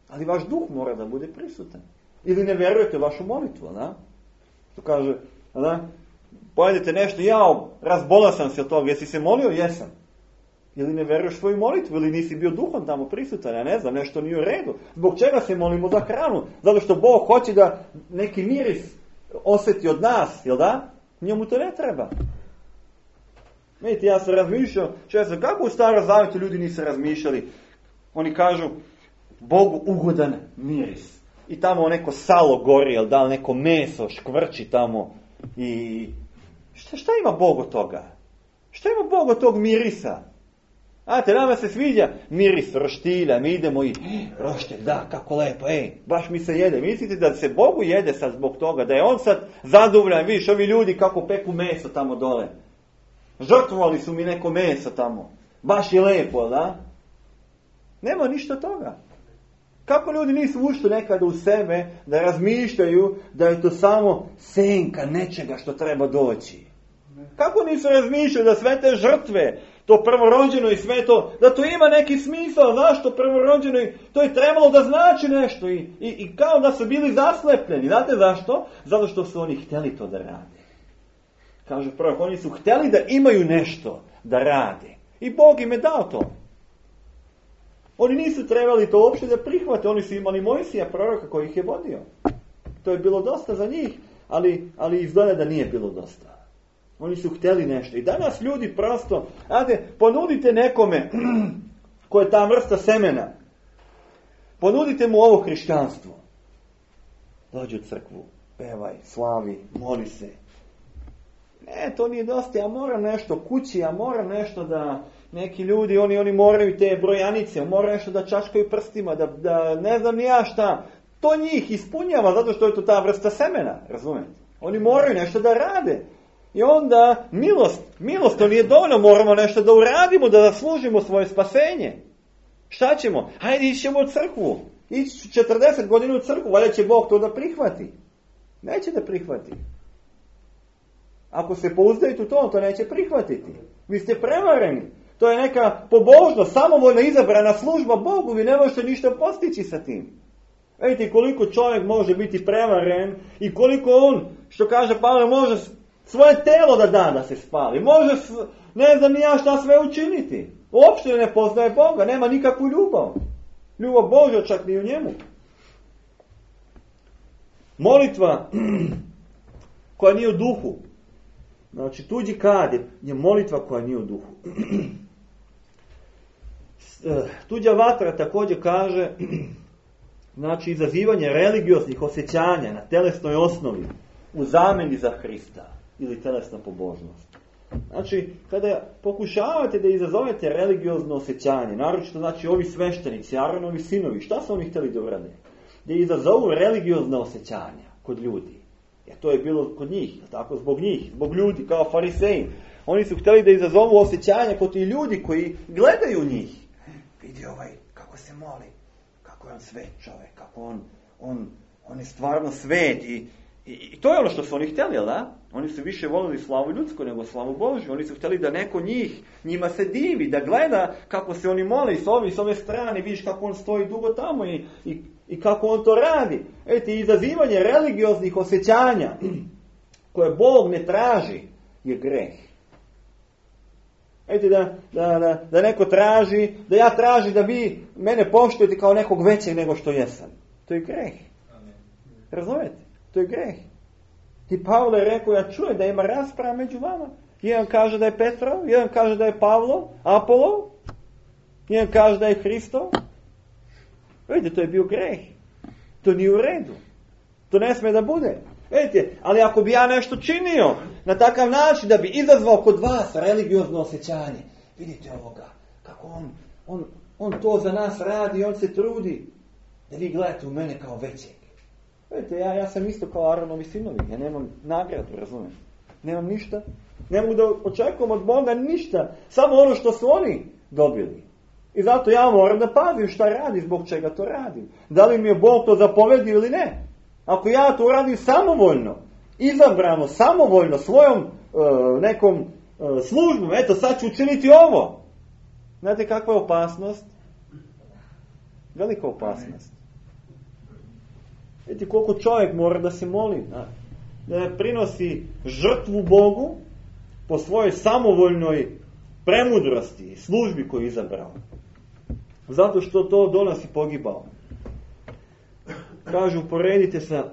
Ali vaš duh mora da bude prisutan. Ili ne vjerujete u vašu molitvu, da? To kaže, da? Pojedete nešto, jao, razbolao sam se od toga, jesi se molio? Jesam. Ili ne vjeruješ svoju molitvu, ili nisi bio duhom tamo prisutan, ja ne znam, nešto nije u redu. Zbog čega se molimo za hranu? Zato što Bog hoće da neki miris osjeti od nas, jel da? Njemu to ne treba. Vidite, ja sam razmišljao, često, kako u Starom Zavetu ljudi nisu razmišljali? Oni kažu, Bogu ugodan miris. I tamo neko salo gori, jel da, neko meso škvrči tamo. I šta, šta ima Bog od toga? Šta ima Bog od tog mirisa? Znate, nama se sviđa miris roštilja, mi idemo i roštilj, da, kako lepo, ej, baš mi se jede. Mislite da se Bogu jede sad zbog toga, da je on sad zadovoljan, vidiš, ovi ljudi kako peku meso tamo dole. Žrtvovali su mi neko meso tamo. Baš je lepo, da? Nema ništa toga. Kako ljudi nisu ušli nekada u sebe da razmišljaju da je to samo senka nečega što treba doći? Kako nisu razmišljali da sve te žrtve, to prvorođeno i sve to, da to ima neki smisao. Zašto prvorođeno? To je trebalo da znači nešto i, i, i kao da su bili zaslepljeni. Znate zašto? Zato što su oni htjeli to da rade. Kaže prorok, oni su htjeli da imaju nešto da rade. I Bog im je dao to. Oni nisu trebali to uopšte da prihvate. Oni su imali Mojsija, proroka koji ih je vodio. To je bilo dosta za njih, ali, ali izgleda da nije bilo dosta. Oni su htjeli nešto. I danas ljudi prosto, znate, ponudite nekome ko je ta vrsta semena. Ponudite mu ovo hrišćanstvo. Dođi u crkvu, pevaj, slavi, moli se. Ne, to nije dosta, ja moram nešto kući, ja moram nešto da, neki ljudi, oni, oni moraju te brojanice, moraju nešto da čačkaju prstima, da, da ne znam ni ja šta. To njih ispunjava, zato što je to ta vrsta semena, razumijete? Oni moraju nešto da rade. I onda, milost, milost, to nije dovoljno, moramo nešto da uradimo, da zaslužimo svoje spasenje. Šta ćemo? Hajde, ićemo u crkvu. Ići četrdeset godina u crkvu, valjda će Bog to da prihvati. Neće da prihvati. Ako se pouzdajete u to, on to neće prihvatiti. Vi ste prevareni. To je neka pobožnost, samovoljno izabrana služba Bogu, vi ne možete ništa postići sa tim. Vidite koliko čovjek može biti prevaren i koliko on, što kaže Pavle, može svoje telo da da da se spali. Može, ne znam ni ja šta sve učiniti. Uopšte ne poznaje Boga, nema nikakvu ljubav. Ljubav Božja čak ni u njemu. Molitva koja nije u duhu. Znači, tuđi kad je molitva koja nije u duhu. Tuđa vatra također kaže, znači, izazivanje religioznih osjećanja na telesnoj osnovi u zamjeni za Hrista ili telesna pobožnost. Znači, kada pokušavate da izazovete religiozno osjećanje, naročito, znači, ovi sveštenici, Aronovi sinovi, šta su oni htjeli da urade? Da izazovu religiozne osjećanja kod ljudi. Jer to je bilo kod njih, tako, zbog njih, zbog ljudi, kao fariseji. Oni su htjeli da izazovu osjećanja kod tih ljudi koji gledaju njih. Vidi ovaj, kako se moli, kako je on svet čovjek, kako on, on, on je stvarno svet. I, i, i to je ono što su oni htjeli, jel da? Oni su više volili slavu ljudsku nego slavu Božju. Oni su htjeli da neko njih, njima se divi, da gleda kako se oni mole i s ove, s ove strane, vidiš kako on stoji dugo tamo i, i I kako on to radi. Eti, izazivanje religioznih osjećanja koje Bog ne traži je greh. Eti, da, da, da, da neko traži, da ja traži da vi mene poštujete kao nekog većeg nego što jesam. To je greh. Razumijete? To je greh. I Pavle je rekao, ja čujem da ima rasprava među vama. Jedan kaže da je Petrov, jedan kaže da je Pavlo, Apollo, jedan kaže da je Hristo. Vidite, to je bio greh. To nije u redu. To ne smije da bude. Vidite, ali ako bi ja nešto činio na takav način da bi izazvao kod vas religiozno osjećanje, vidite ovoga, kako on, on, on to za nas radi, on se trudi, da vi gledate u mene kao većeg. Vidite, ja, ja sam isto kao Aronovi sinovi, ja nemam nagradu, razumijem. Nemam ništa. Ne mogu da očekujem od Boga ništa, samo ono što su oni dobili. I zato ja moram da pazim šta radi, zbog čega to radim. Da li mi je Bog to zapovedio ili ne. Ako ja to radim samovoljno, izabrano, samovoljno, svojom e, nekom e, službom, eto sad ću učiniti ovo. Znate kakva je opasnost? Velika opasnost. Vidite koliko čovjek mora da se moli, da, da prinosi žrtvu Bogu po svojoj samovoljnoj premudrosti i službi koju je izabrao. Zato što to donosi pogibao. Kažu, uporedite sa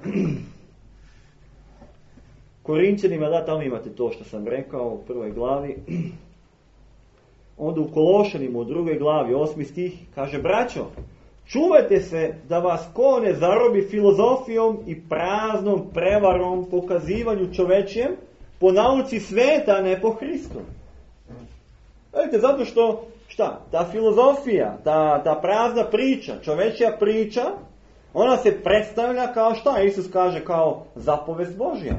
Korinćanima, da, tamo imate to što sam rekao u prvoj glavi. Onda u Kološanima u drugoj glavi, osmi stih, kaže, braćo, čuvajte se da vas ko ne zarobi filozofijom i praznom prevarom, pokazivanju čovečijem, po nauci sveta, a ne po Hristu. Vidite, zato što, šta, ta filozofija, ta, ta prazna priča, čovečja priča, ona se predstavlja kao šta? Isus kaže kao zapovest Božja.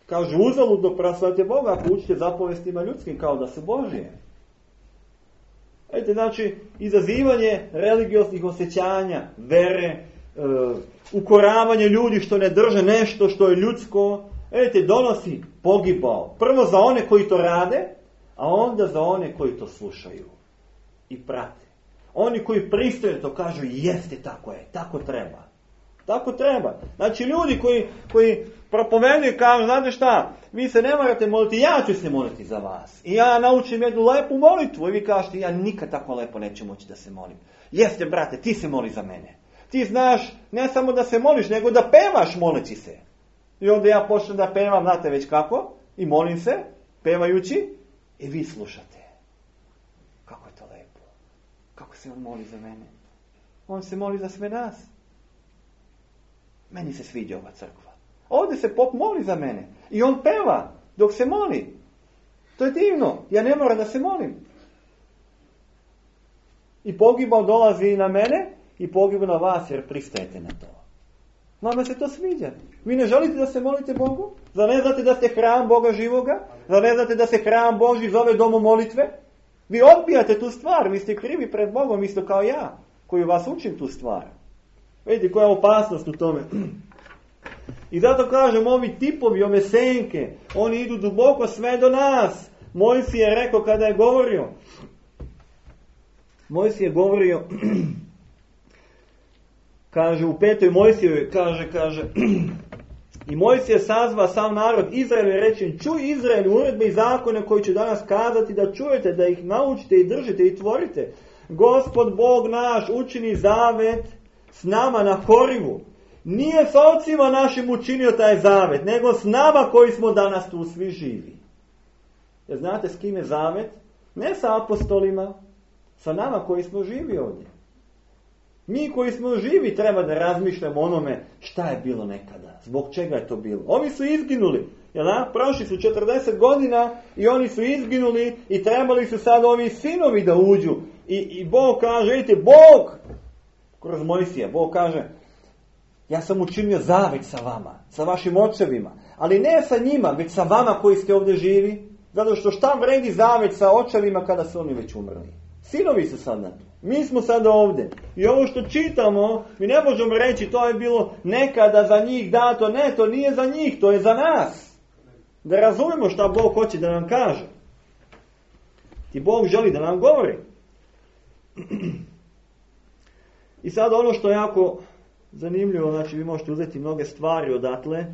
Kaže, uzaludno proslavljate Boga ako učite zapovestima ljudskim kao da su Božje. Vidite, znači, izazivanje religioznih osjećanja, vere, e, ukoravanje ljudi što ne drže nešto što je ljudsko, vidite, donosi pogibao. Prvo za one koji to rade, A onda za one koji to slušaju i prate. Oni koji pristaju to kažu, jeste, tako je, tako treba. Tako treba. Znači ljudi koji, koji propoveduju kažu, znate šta, vi se ne morate moliti, ja ću se moliti za vas. I ja naučim jednu lepu molitvu i vi kažete, ja nikad tako lepo neću moći da se molim. Jeste, brate, ti se moli za mene. Ti znaš ne samo da se moliš, nego da pevaš moleći se. I onda ja počnem da pevam, znate već kako, i molim se, pevajući, i vi slušate. Kako je to lepo. Kako se on moli za mene. On se moli za sve nas. Meni se sviđa ova crkva. Ovdje se pop moli za mene. I on peva dok se moli. To je divno. Ja ne moram da se molim. I pogibao dolazi na mene i pogibao na vas jer pristajete na to. Vama se to sviđa. Vi ne želite da se molite Bogu? Zar ne znate da ste hram Boga živoga? Zar ne znate da se hram Božji zove domom molitve? Vi odbijate tu stvar. Vi ste krivi pred Bogom isto kao ja koji vas učim tu stvar. Vidite koja je opasnost u tome. I zato kažem, ovi tipovi, ove senke, oni idu duboko sve do nas. Mojsije je rekao kada je govorio, Mojsije je govorio, kaže u petoj Mojsijevoj, kaže, kaže, i Mojsije sazva sam narod Izraelu i reče, čuj Izraelu uredbe i zakone koji ću danas kazati, da čujete, da ih naučite i držite i tvorite. Gospod Bog naš učini zavet s nama na Horivu. Nije s ocima našim učinio taj zavet, nego s nama koji smo danas tu svi živi. Jer znate s kim je zavet? Ne sa apostolima, sa nama koji smo živi ovdje. Mi koji smo živi treba da razmišljamo onome šta je bilo nekada, zbog čega je to bilo. Ovi su izginuli, jel da? Prošli su četrdeset godina i oni su izginuli i trebali su sad ovi sinovi da uđu. I, i Bog kaže, vidite, Bog, kroz Mojsija, Bog kaže, ja sam učinio zavet sa vama, sa vašim očevima, ali ne sa njima, već sa vama koji ste ovdje živi, zato što šta vredi zavet sa očevima kada su oni već umrli. Sinovi su sad na to. Mi smo sad ovdje. I ovo što čitamo, mi ne možemo reći to je bilo nekada za njih dato. Ne, to nije za njih, to je za nas. Da razumemo šta Bog hoće da nam kaže. I Bog želi da nam govori. I sad ono što je jako zanimljivo, znači vi možete uzeti mnoge stvari odatle,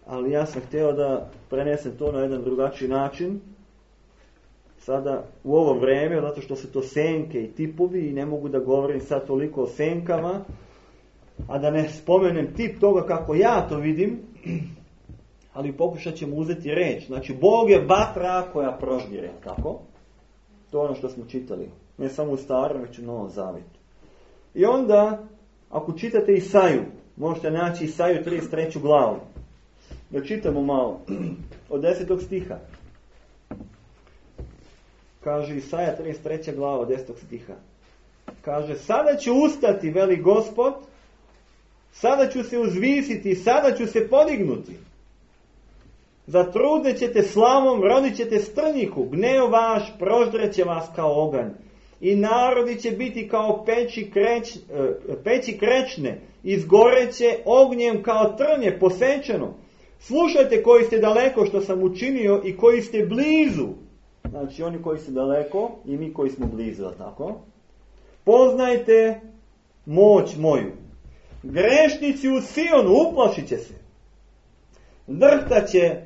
ali ja sam htio da prenesem to na jedan drugačiji način. Sada u ovo vrijeme, zato što su to senke i tipovi i ne mogu da govorim sad toliko o senkama, a da ne spomenem tip toga kako ja to vidim, ali pokušat ćemo uzeti reč. Znači, Bog je vatra koja proždire, tako? To je ono što smo čitali. Ne samo u Starom, već u Novom Zavjetu. I onda, ako čitate Isaju, možete naći Isaju trideset treću glavu. Da čitamo malo, od desetog stiha. Kaže Isaja trideset treća glava od desetog stiha. Kaže, sada ću ustati, veli Gospod, sada ću se uzvisiti, sada ću se podignuti. Zatrudne ćete slavom, rodit ćete strnjihu, gneo vaš proždreće vas kao oganj. I narodi će biti kao peći, kreć, peći krečne, izgoreće ognjem kao trnje posečeno. Slušajte koji ste daleko što sam učinio i koji ste blizu. Znači oni koji su daleko i mi koji smo blizu, tako? Poznajte moć moju. Grešnici u Sionu uplašit će se. Drhtaće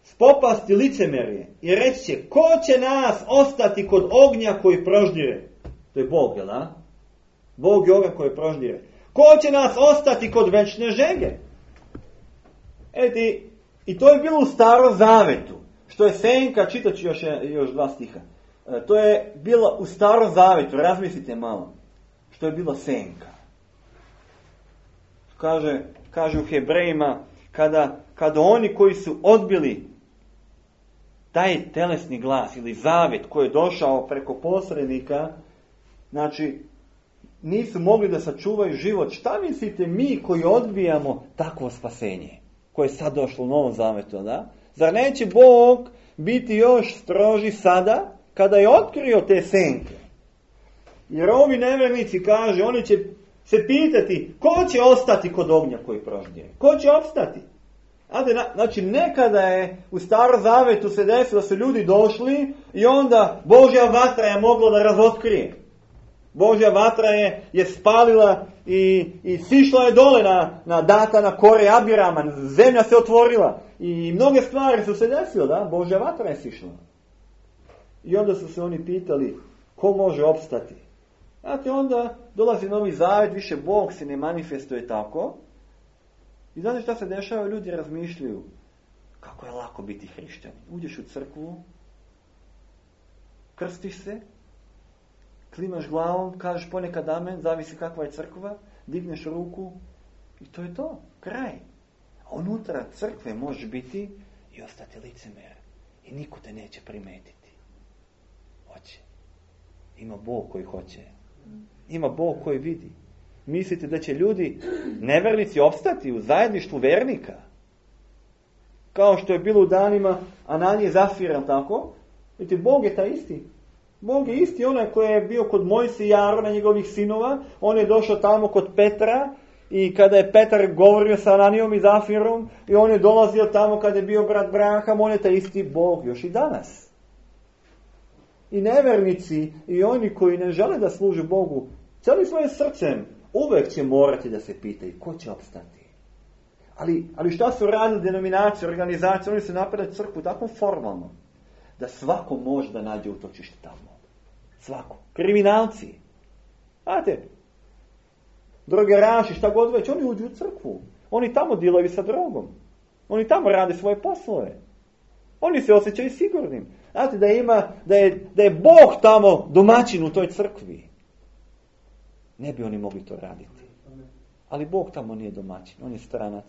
spopasti licemerje i reći će, ko će nas ostati kod ognja koji proždire? To je Bog, jel da? Bog je oganj koji proždire. Ko će nas ostati kod večne žege? Eti, i to je bilo u Starom Zavetu. Što je senka, čitat ću još, još dva stiha. E, to je bilo u Starom Zavetu, razmislite malo. Što je bilo senka. Kaže, kaže u Hebrejima, kada, kada oni koji su odbili taj telesni glas ili zavet koji je došao preko posrednika, znači nisu mogli da sačuvaju život. Šta mislite mi koji odbijamo takvo spasenje koje je sad došlo u Novom Zavetu, da? Zar neće Bog biti još stroži sada kada je otkrio te senke? Jer ovi nevjernici, kaže, oni će se pitati ko će ostati kod ognja koji proždire? Ko će opstati? Znači, nekada je u Starom Zavetu se desilo da su ljudi došli i onda Božja vatra je mogla da razotkrije. Božja vatra je, je spalila i, i sišla je dole na, na Datana, Kore, Abirama, zemlja se otvorila i mnoge stvari su se desile, da, Božja vatra je sišla. I onda su se oni pitali, ko može opstati? Znate, onda dolazi Novi Zavet, više Bog se ne manifestuje tako. I znate šta se dešava? Ljudi razmišljaju, kako je lako biti hrišćanin. Uđeš u crkvu, krstiš se, klimaš glavom, kažeš ponekad amen, zavisi kakva je crkva, digneš ruku i to je to, kraj. A unutra crkve može biti i ostati licemer. I niko te neće primetiti. Hoće. Ima Bog koji hoće. Ima Bog koji vidi. Mislite da će ljudi, nevernici, opstati u zajedništvu vernika? Kao što je bilo u danima Ananije i Zafira, tako? Vidite, Bog je taj isti. Bog je isti, onaj koji je bio kod Mojsija i Arona, njegovih sinova. On je došao tamo kod Petra i kada je Petar govorio sa Ananijom i Zafirom i on je dolazio tamo kada je bio brat Braham, on je taj isti Bog još i danas. I nevernici i oni koji ne žele da služe Bogu, cijelim svojim srcem, uvek će morati da se pitaju ko će opstati. Ali, ali šta su radili denominacije, organizacije, oni su napravili crkvu tako formalno da svako može da nađe utočište tamo. Svako. Kriminalci. Znate, drogeraši, šta god već, oni uđu u crkvu. Oni tamo dilovi sa drogom. Oni tamo rade svoje poslove. Oni se osjećaju sigurnim. Znate, da, ima, da, je, da je Bog tamo domaćin u toj crkvi. Ne bi oni mogli to raditi. Ali Bog tamo nije domaćin, on je stranac.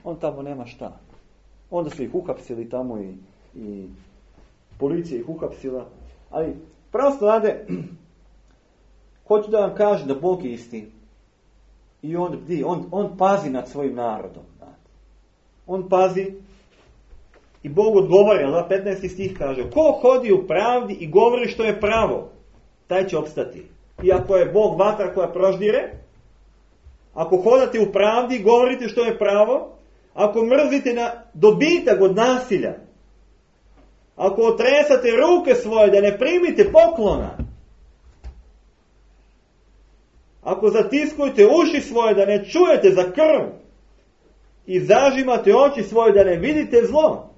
On tamo nema šta. Onda su ih uhapsili tamo i, i policija ih uhapsila. Ali prosto, znate, hoću da vam kažem da Bog je isti. I on, on, on pazi nad svojim narodom. Znate. On pazi i Bog odgovara, da, petnaesti stih kaže, ko hodi u pravdi i govori što je pravo, taj će opstati. I ako je Bog vatra koja proždire, ako hodate u pravdi i govorite što je pravo, ako mrzite na dobitak od nasilja, ako otresate ruke svoje da ne primite poklona, ako zatiskujete uši svoje da ne čujete za krv i zažimate oči svoje da ne vidite zlo,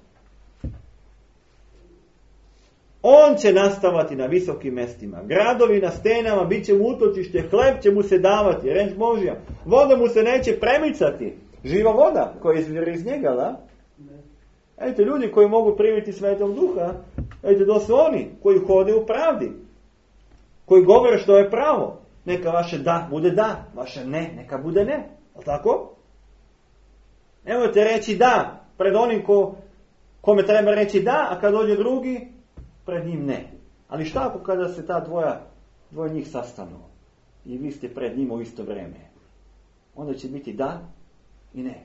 on će nastavati na visokim mestima. Gradovi na stenama bit će mu utočište, hleb će mu se davati, reč Božja. Voda mu se neće premicati. Živa voda koja izvire iz njega, da? Ejte, ljudi koji mogu primiti Svetog Duha, ejte, to su oni koji hode u pravdi. Koji govore što je pravo. Neka vaše da bude da, vaše ne, neka bude ne. Ali tako? Nemojte reći da pred onim ko, kome treba reći da, a kad dođe drugi, pred njim ne. Ali šta ako kada se ta dvoja, dvoje njih sastanu i vi ste pred njima u isto vrijeme? Onda će biti da i ne.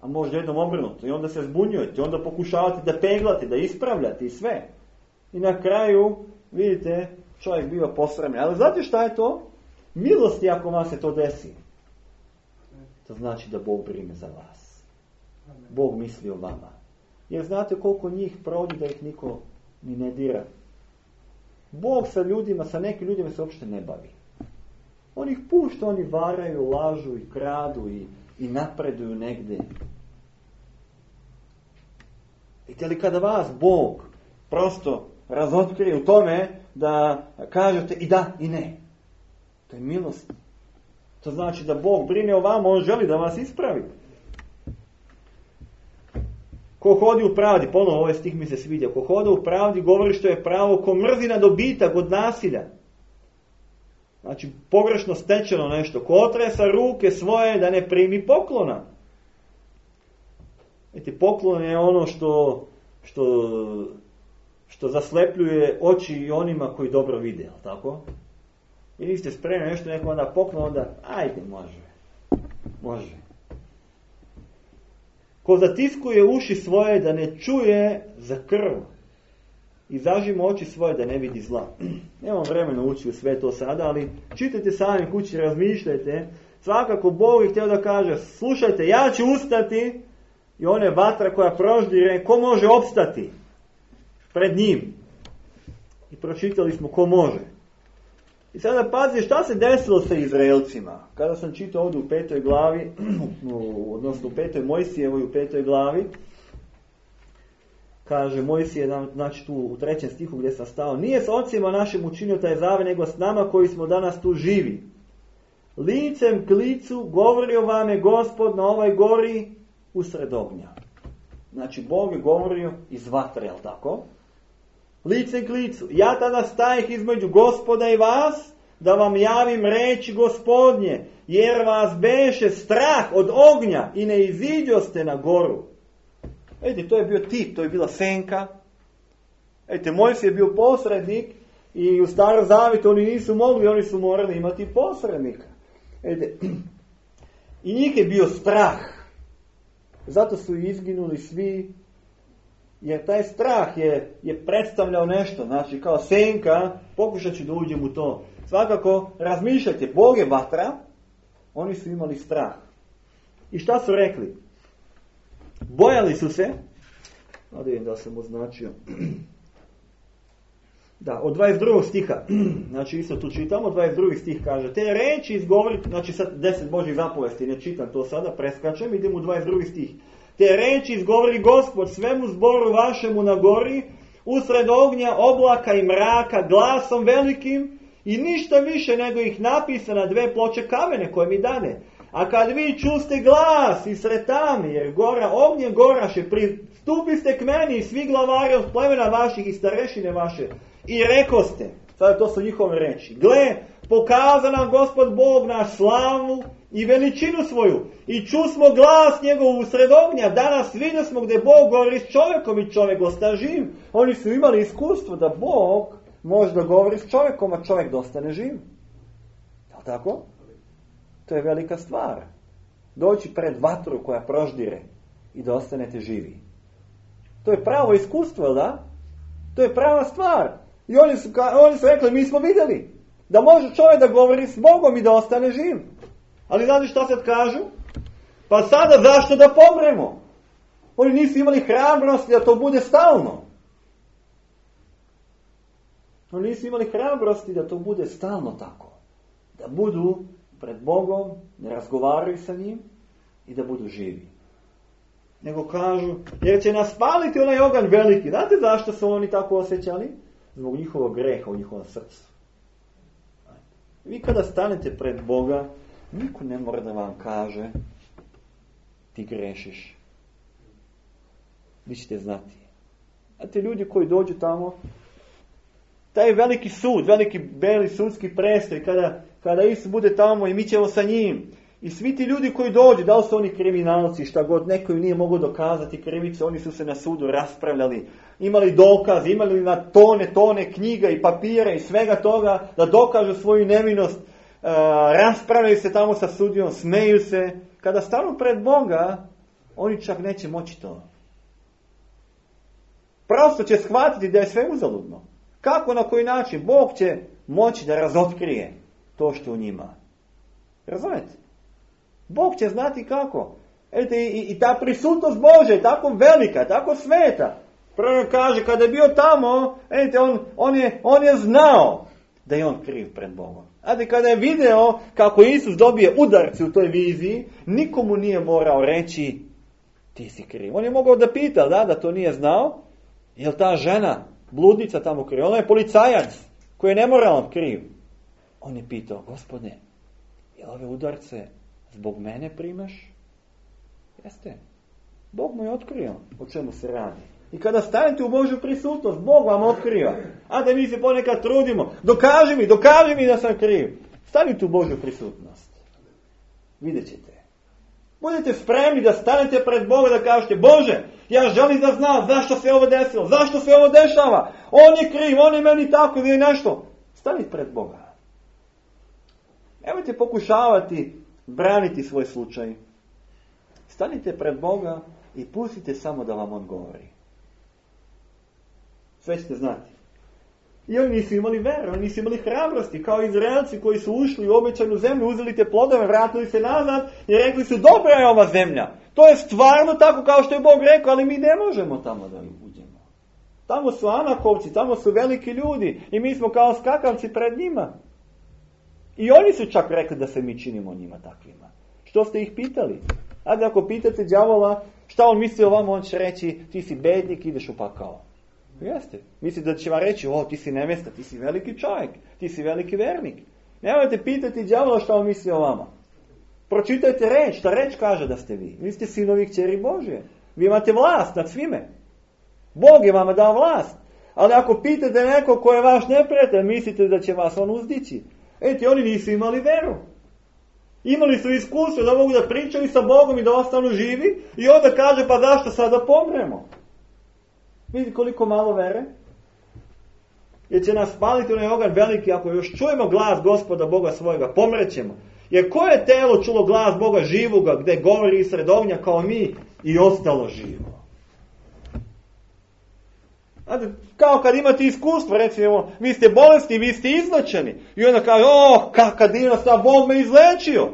A možda jednom obrnuto. I onda se zbunjujete. Onda pokušavate da peglate, da ispravljate i sve. I na kraju, vidite, čovjek biva posramljen. Ali znate šta je to? Milosti ako vam se to desi. To znači da Bog brine za vas. Bog misli o vama. Jer znate koliko njih prođe da ih niko ni ne dira. Bog sa ljudima, sa nekim ljudima se uopšte ne bavi. On ih pušta, oni varaju, lažu i kradu i, i napreduju negde. Vidite li kada vas Bog prosto razotkrije u tome da kažete i da i ne. To je milost. To znači da Bog brine o vama, on želi da vas ispravi. Ko hodi u pravdi, ponovno ovaj stih mi se sviđa, ko hoda u pravdi govori što je pravo, ko mrzi na dobitak od nasilja. Znači, pogrešno stečeno nešto. Ko otresa ruke svoje da ne primi poklona. Vidite, poklon je ono što, što, što zaslepljuje oči i onima koji dobro vide, ali tako? I vi ste spremni nešto neko onda poklon, onda ajde, može. Može. Ko zatiskuje uši svoje da ne čuje za krv i zažima oči svoje da ne vidi zla. Nemam vremena ući u sve to sada, ali čitajte sami kući, razmišljajte. Svakako Bog je htio da kaže, slušajte, ja ću ustati i ona je vatra koja proždire, ko može opstati pred njim? I pročitali smo ko može. I sada pazi šta se desilo sa Izraelcima. Kada sam čitao ovdje u petoj glavi, odnosno u petoj Mojsijevoj u petoj glavi, kaže Mojsije, znači tu u trećem stihu gdje sam stao, nije s ocima našim učinio taj zavet, nego s nama koji smo danas tu živi. Licem k licu govorio vam je Gospod na ovoj gori usred ognja. Znači Bog je govorio iz vatre, jel tako? Licem k licu. Ja tada stajih između Gospoda i vas, da vam javim reči Gospodnje, jer vas beše strah od ognja i ne iziđoste na goru. Vidite, to je bio tip, to je bila senka. Vidite, Mojsije je bio posrednik i u Starom Zavjetu oni nisu mogli, oni su morali imati posrednika. Vidite, i njih je bio strah. Zato su izginuli svi, jer taj strah je, je predstavljao nešto. Znači, kao senka, pokušat ću da uđem u to. Svakako, razmišljajte, Bog je vatra, oni su imali strah. I šta su rekli? Bojali su se, da vidim da sam označio, da, od dvadeset drugog stiha, znači isto tu čitamo, dvadeset drugi stih kaže, te reči izgovori, znači sad deset Božjih zapovesti, ne čitam to sada, preskačem, idem u dvadeset drugi stih. Te reči izgovori Gospod svemu zboru vašemu na gori, usred ognja, oblaka i mraka, glasom velikim i ništa više nego ih napisa na dve ploče kamene koje mi dane. A kad vi čuste glas i sretami, jer gora ognje goraše, pristupiste k meni i svi glavari od plemena vaših i starešine vaše. I rekoste, sada to su njihove reči, gle, pokaza nam Gospod Bog naš slavu i veličinu svoju. I čusmo glas njegov usred ognja. Danas vidjeli smo gdje Bog govori s čovjekom i čovjek osta živ. Oni su imali iskustvo da Bog može da govori s čovjekom, a čovjek dostane živ. Je li tako? To je velika stvar. Doći pred vatru koja proždire i da ostanete živi. To je pravo iskustvo, da? To je prava stvar. I oni su, oni su rekli, mi smo vidjeli da može čovjek da govori s Bogom i da ostane živ. Ali znate šta sad kažu? Pa sada zašto da pomremo? Oni nisu imali hrabrosti da to bude stalno. Oni nisu imali hrabrosti da to bude stalno tako. Da budu pred Bogom, ne razgovaraju sa njim i da budu živi. Nego kažu, jer će nas spaliti onaj oganj veliki. Znate zašto su oni tako osjećali? Zbog njihovog greha u njihovom srcu. Vi kada stanete pred Boga, niko ne mora da vam kaže ti grešiš. Vi ćete znati. Znate, ljudi koji dođu tamo, taj veliki sud, veliki beli sudski prestoj, kada, kada Isus bude tamo i mi ćemo sa njim. I svi ti ljudi koji dođu, da li su oni kriminalci, šta god, neko im nije mogao dokazati krivicu, oni su se na sudu raspravljali, imali dokaz, imali na tone, tone knjiga i papira i svega toga da dokažu svoju nevinost, Uh, raspravljaju se tamo sa sudijom, smeju se. Kada stanu pred Boga, oni čak neće moći to. Prosto će shvatiti da je sve uzaludno. Kako, na koji način? Bog će moći da razotkrije to što u njima. Razumete? Bog će znati kako. Edite, i, i ta prisutnost Božja je tako velika, tako sveta. Prvo kaže, kada je bio tamo, edite, on, on, je, on je znao da je on kriv pred Bogom. Znate, kada je video kako Isus dobije udarci u toj viziji, nikomu nije morao reći ti si kriv. On je mogao da pita, da, da to nije znao, je li ta žena, bludnica tamo kriv? Ona je policajac koji je nemoralan kriv. On je pitao, Gospodine, je li ove udarce zbog mene primaš? Jeste. Bog mu je otkrio o čemu se radi. I kada stanete u Božju prisutnost, Bog vam otkriva. A da mi se ponekad trudimo, dokaži mi, dokaži mi da sam kriv. Stanite u Božju prisutnost. Vidjet ćete. Budete spremni da stanete pred Boga da kažete, Bože, ja želim da znam zašto se ovo desilo, zašto se ovo dešava. On je kriv, on je meni tako ili nešto. Stanite pred Boga. Nemojte pokušavati braniti svoj slučaj. Stanite pred Boga i pustite samo da vam on govori. Sve ćete znati. I oni nisu imali vere, oni nisu imali hrabrosti, kao Izraelci koji su ušli u obećanu zemlju, uzeli te plodove, vratili se nazad i rekli su, dobra je ova zemlja. To je stvarno tako kao što je Bog rekao, ali mi ne možemo tamo da uđemo. Tamo su Anakovci, tamo su veliki ljudi i mi smo kao skakavci pred njima. I oni su čak rekli da se mi činimo njima takvima. Što ste ih pitali? Ajde, ako pitate đavola šta on misli o vama, on će reći, ti si bednik, ideš u pakao. Jeste. Mislite da će vam reći, o, ti si nevesta, ti si veliki čovjek, ti si veliki vernik. Nemojte pitati đavola šta on misli o vama. Pročitajte reč, šta reč kaže da ste vi. Vi ste sinovi kćeri Božje. Vi imate vlast nad svime. Bog je vama dao vlast. Ali ako pitate neko ko je vaš neprijatelj, mislite da će vas on uzdići. Eti, oni nisu imali veru. Imali su iskustvo da mogu da pričaju sa Bogom i da ostanu živi i onda kaže, pa zašto sada pomremo? Vidite koliko malo vere? Jer će nas spaliti onaj oganj veliki ako još čujemo glas Gospoda Boga svojega, pomrećemo. Jer koje telo čulo glas Boga živoga gdje govori sred ognja kao mi i ostalo živo? Znate, kao kad imate iskustvo, recimo, vi ste bolesni, vi ste izlečeni. I onda kaže, oh, kakav divna stvar, Bog me izlečio.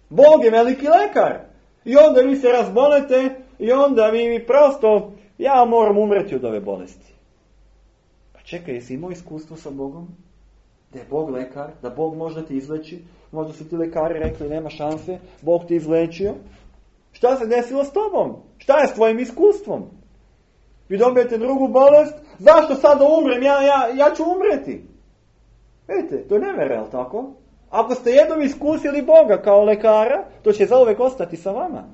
Bog je veliki lekar. I onda vi se razbolete i onda vi mi prosto, ja moram umreti od ove bolesti. Pa čekaj, jesi imao iskustvo sa Bogom? Da je Bog lekar, da Bog možda ti izleči. Možda su ti lekari rekli, nema šanse, Bog ti izlečio. Šta se desilo s tobom? Šta je s tvojim iskustvom? Vi dobijete drugu bolest, zašto sada umrem? Ja, ja, ja ću umreti. Vidite, to je nevera, jel tako? Ako ste jednom iskusili Boga kao lekara, to će zauvek ostati sa vama.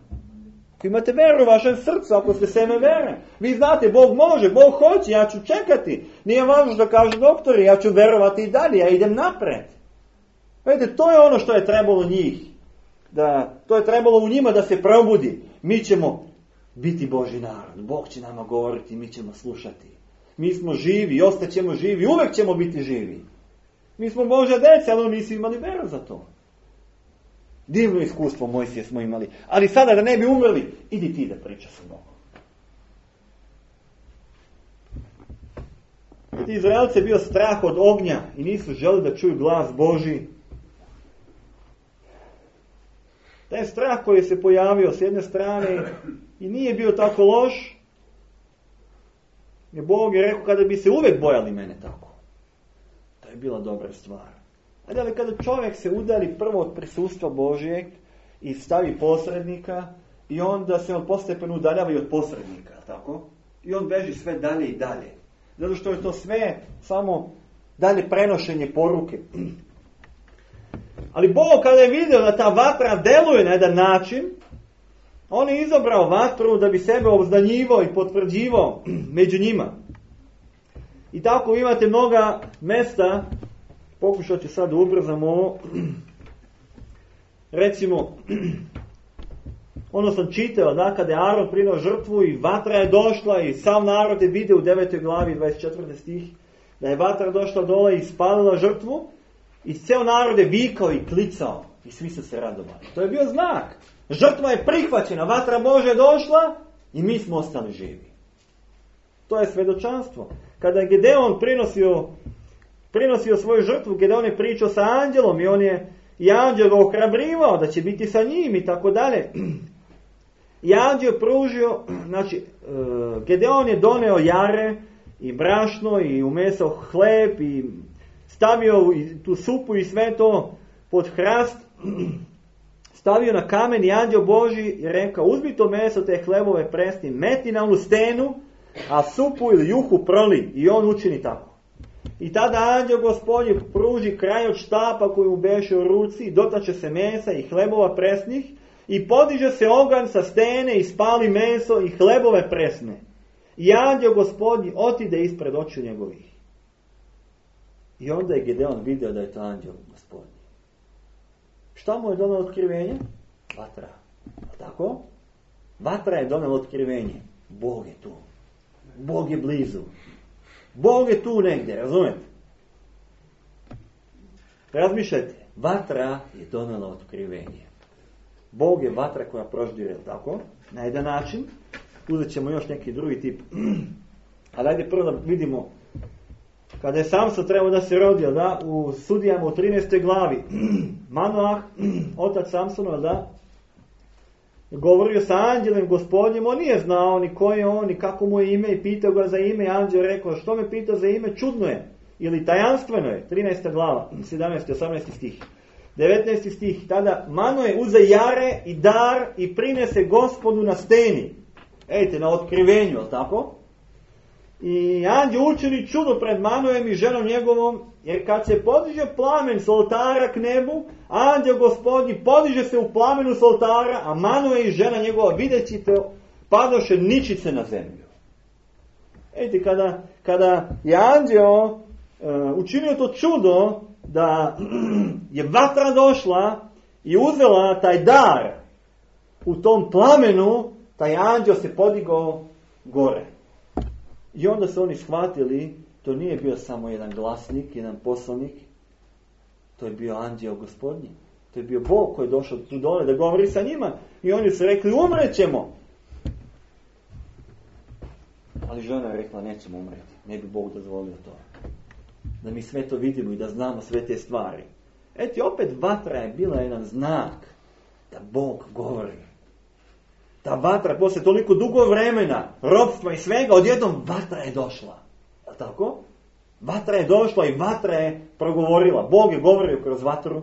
Ako imate veru u vašem srcu, ako ste seme vere, vi znate, Bog može, Bog hoće, ja ću čekati. Nije važno da kažu doktori, ja ću verovati i dalje, ja idem napred. Vidite, to je ono što je trebalo njih. Da, to je trebalo u njima da se probudi. Mi ćemo biti Božji narod. Bog će nama govoriti, mi ćemo slušati. Mi smo živi i ostaćemo živi, uvek ćemo biti živi. Mi smo Božja deca, ali oni nisu imali veru za to. Divno iskustvo Mojsije smo imali. Ali sada da ne bi umrli, idi ti da priča sa Bogom. Ti Izraelci je bio strah od ognja i nisu želi da čuju glas Božji. Taj strah koji se pojavio s jedne strane i nije bio tako loš, jer Bog je rekao kada bi se uvek bojali mene tako. To je bila dobra stvar. Ali kada čovjek se udali prvo od prisustva Božjeg i stavi posrednika i onda se on postepeno udaljava i od posrednika, tako? I on beži sve dalje i dalje. Zato što je to sve samo dalje prenošenje poruke. Ali Bog kada je vidio da ta vatra deluje na jedan način, on je izabrao vatru da bi sebe obznanjivao i potvrđivao među njima. I tako imate mnoga mesta, pokušat ću sad ubrzamo ovo, recimo, ono sam čitao da kada je Aron prinao žrtvu i vatra je došla i sam narod je vidio u devetoj glavi dvadeset četvrti stih da je vatra došla dole i spalila žrtvu i ceo narod je vikao i klicao i svi su se radovali. To je bio znak. Žrtva je prihvaćena, vatra Božja je došla i mi smo ostali živi. To je svedočanstvo. Kada je Gedeon prinosio, prinosio svoju žrtvu, Gedeon je pričao sa anđelom i on je i anđel ga ohrabrivao da će biti sa njim i tako dalje. I anđel pružio, znači Gedeon je doneo jare i brašno i umesao hleb i stavio tu supu i sve to pod hrast, stavio na kamen i anđel Božji je rekao, uzmi to meso, te hlebove presni, meti na onu stenu, a supu ili juhu proli i on učini tako. I tada anđel Gospodnji pruži kraj od štapa koji mu beše u ruci, dotače se mesa i hlebova presnih i podiže se oganj sa stene i spali meso i hlebove presne. I anđel Gospodnji otide ispred očiju njegovih. I onda je Gedeon vidio da je to anđel Gospodnji. Šta mu je donelo otkrivenje? Vatra. Tako? Vatra je donelo otkrivenje. Bog je tu. Bog je blizu. Bog je tu negdje, razumete? Razmišljajte, vatra je donela otkrivenje. Bog je vatra koja proždire, tako? Na jedan način. Uzet ćemo još neki drugi tip. Ali ajde prvo da vidimo kada je Samson trebao da se rodio, da, u Sudijama u trinaestoj glavi, Manoah, otac Samsonova, da, govorio sa anđelem Gospodnjim, on nije znao ni ko je on, ni kako mu je ime, i pitao ga za ime, i anđel rekao, što me pitao za ime, čudno je, ili tajanstveno je, trinaesta glava, sedamnaesti, osamnaesti stih. devetnaesti stih, tada Manoe uze jare i dar i prinese Gospodu na steni. Ejte, na otkrivenju, ali tako? I anđel učini čudo pred Manoem i ženom njegovom, jer kad se podiže plamen s oltara k nebu, anđel Gospodnji podiže se u plamenu s oltara, a Manoe i žena njegova videći to, padoše ničice na zemlju. Ejte, kada, kada je anđel uh, učinio to čudo, da je vatra došla i uzela taj dar u tom plamenu, taj anđel se podigao gore. I onda su oni shvatili, to nije bio samo jedan glasnik, jedan poslanik, to je bio anđel Gospodnji. To je bio Bog koji je došao tu dole da govori sa njima. I oni su rekli, umrećemo. Ali žena je rekla, nećemo umreti. Ne bi Bog dozvolio to. Da mi sve to vidimo i da znamo sve te stvari. Eti, opet vatra je bila jedan znak da Bog govori. Ta vatra, posle toliko dugo vremena, ropstva i svega, odjednom vatra je došla. Je li tako? Vatra je došla i vatra je progovorila. Bog je govorio kroz vatru.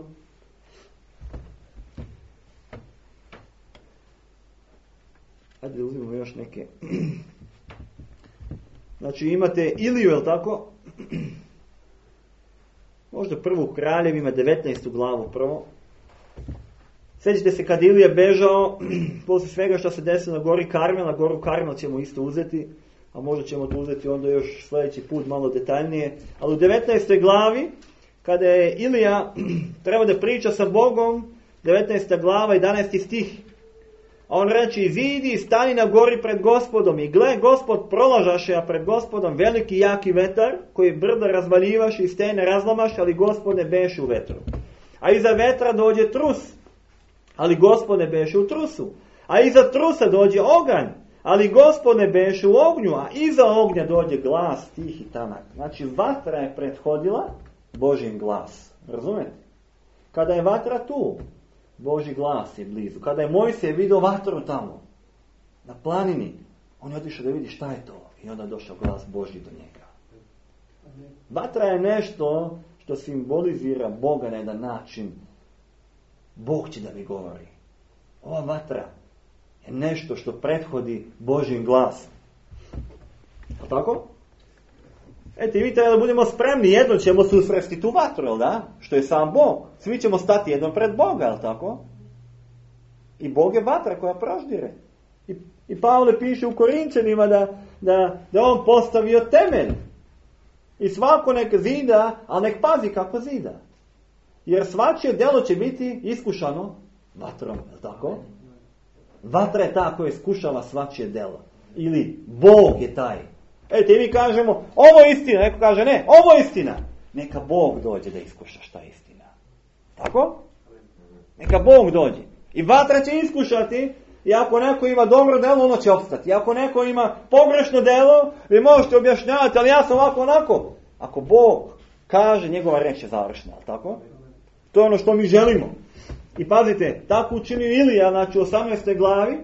Hajde da uzmemo još neke. Znači imate Iliju, je li tako? Možda prvo u Kraljevima, devetnaestu glavu prvo. Sjećate se kad Ilija bežao, posle svega što se desilo na gori Karmel, na goru Karmel ćemo isto uzeti, a možda ćemo to uzeti onda još sljedeći put malo detaljnije. Ali u devetnaestoj glavi, kada je Ilija treba da priča sa Bogom, devetnaesta glava, jedanaesti stih, a on reče, izidi i stani na gori pred Gospodom, i gle, Gospod prolažaše, a pred Gospodom veliki jaki vetar, koji brda razvaljivaše i stene razlamaše, ali Gospod ne beše u vetru. A iza vetra dođe trus, ali Gospod ne beše u trusu. A iza trusa dođe oganj, ali Gospod ne beše u ognju, a iza ognja dođe glas tih i tanak. Znači, vatra je prethodila Božin glas. Razumete? Kada je vatra tu, Božji glas je blizu. Kada je Mojsije vidio vatru tamo, na planini, on je otišao da vidi šta je to. I onda je došao glas Božji do njega. Vatra je nešto što simbolizira Boga na jedan način. Bog će da mi govori. Ova vatra je nešto što prethodi Božjim glasom. Je tako? Eto, i vi treba da budemo spremni, jedno ćemo susresti tu vatru, jel da? Što je sam Bog. Svi ćemo stati jednom pred Boga, jel tako? I Bog je vatra koja proždire. I, i Pavle piše u Korinčanima da, da, da on postavio temelj. I svako nek zida, ali nek pazi kako zida. Jer svačije delo će biti iskušano vatrom, jel tako? Vatra je ta koja iskušava svačije delo. Ili Bog je taj. Eto, i mi kažemo, ovo je istina. Neko kaže, ne, ovo je istina. Neka Bog dođe da iskuša šta je istina. Tako? Neka Bog dođe. I vatra će iskušati. I ako neko ima dobro delo, ono će opstati. I ako neko ima pogrešno delo, vi možete objašnjavati, ali ja sam ovako onako. Ako Bog kaže, njegova reč je završena. Tako? To je ono što mi želimo. I pazite, tako učinio Ilija, znači u osamnaestoj glavi,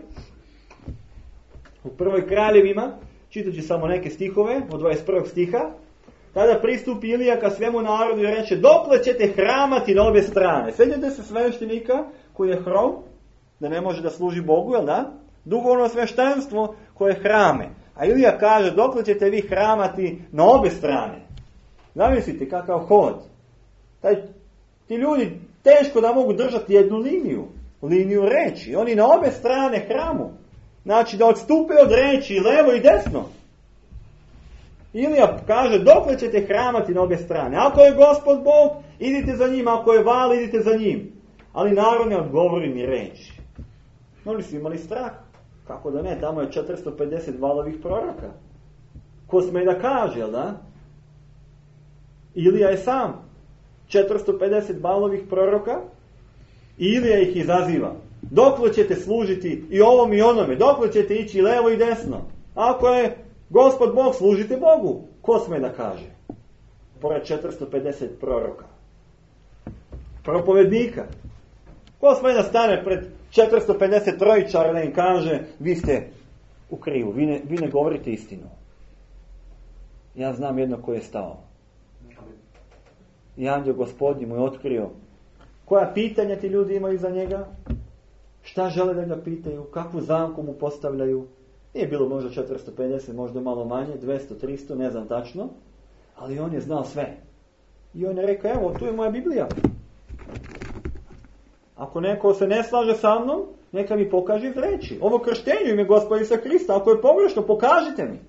u prvoj Kraljevima, čitat ću samo neke stihove, od dvadeset prvog stiha, tada pristupi Ilija ka svemu narodu i reče, dokle ćete hramati na obje strane? Sjećate se sveštenika koji je hrom, da ne može da služi Bogu, jel da? Duhovno sveštenstvo koje hrame. A Ilija kaže, dokle ćete vi hramati na obje strane? Zamislite kakav hod. Taj, ti ljudi teško da mogu držati jednu liniju, liniju reči. Oni na obje strane hramu. Znači da odstupe od reči levo i desno. Ilija kaže, dokle ćete hramati na obje strane? Ako je Gospod Bog, idite za njim. Ako je Val, idite za njim. Ali narod ne odgovori ni reči. Oni su imali strah. Kako da ne? Tamo je četiristo pedeset Valovih proroka. Ko sme da kaže, jel da? Ilija je sam. četiristo pedeset Valovih proroka. I Ilija ih izaziva. Dokle ćete služiti i ovom i onome? Dokle ćete ići levo i desno? Ako je Gospod Bog, služite Bogu. Ko sme da kaže? pored četiristo pedeset proroka. Propovednika. Ko sme da stane pred četiristo pedeset trojičara da im kaže, vi ste u krivu, vi ne, vi ne govorite istinu. Ja znam jedno ko je stao. I anđeo Gospodnji mu je otkrio koja pitanja ti ljudi imaju za njega, šta žele da ga pitaju, kakvu zamku mu postavljaju. Nije bilo možda četiristo pedeset, možda malo manje, dvesta, tristo, ne znam tačno, ali on je znao sve. I on je rekao, evo, tu je moja Biblija. Ako neko se ne slaže sa mnom, neka mi pokaže iz reči. Ovo krštenje ime Gospoda Isusa Krista, ako je pogrešno, pokažite mi.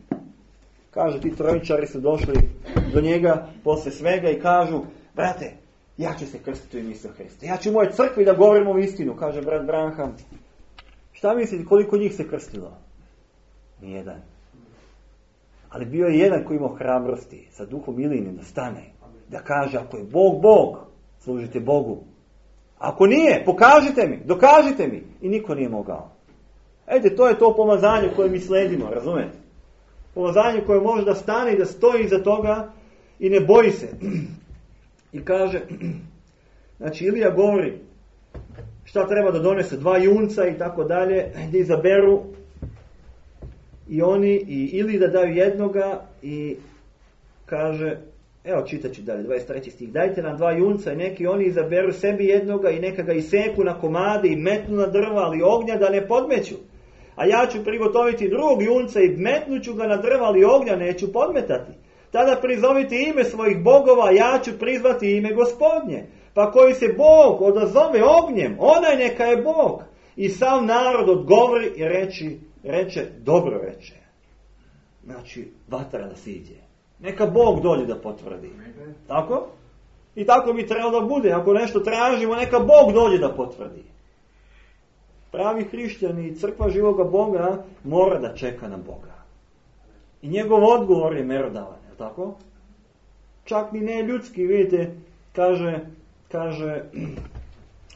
Kaže, ti trojičari su došli do njega posle svega i kažu, brate, ja ću se krstiti u ime Isusa Krista. Ja ću u moje crkvi da govorim ovu istinu, kaže brat Branham. Šta mislite, koliko njih se krstilo? Nijedan. Ali bio je jedan koji imao hrabrosti, sa duhom Iline da stane, da kaže, ako je Bog Bog, služite Bogu. Ako nije, pokažite mi, dokažite mi. I niko nije mogao. Ejte, to je to pomazanje koje mi sledimo, razumete? Pomazanje koje može da stane i da stoji iza toga i ne boji se. I kaže, znači Ilija govori šta treba da donese, dva junca i tako dalje, da izaberu i oni i ili da daju jednoga i kaže, evo čitat ću dalje, dvadeset treći stih, dajte nam dva junca i neki oni izaberu sebi jednoga i neka ga iseku na komade i metnu na drva, ali ognja da ne podmeću. A ja ću prigotoviti drugog junca i metnuću ga na drva, ali ognja neću podmetati. Tada prizovite ime svojih bogova, ja ću prizvati ime Gospodnje. Pa koji se Bog odazove ognjem, onaj neka je Bog. I sav narod odgovori i reči, reče, dobro reče. Znači, vatra da siđe. Neka Bog dođe da potvrdi. Tako? I tako bi trebalo da bude. Ako nešto tražimo, neka Bog dođe da potvrdi. Pravi hrišćani i crkva živoga Boga mora da čeka na Boga. I njegov odgovor je merodavan, je tako? Čak ni ne ljudski, vidite, kaže, kaže,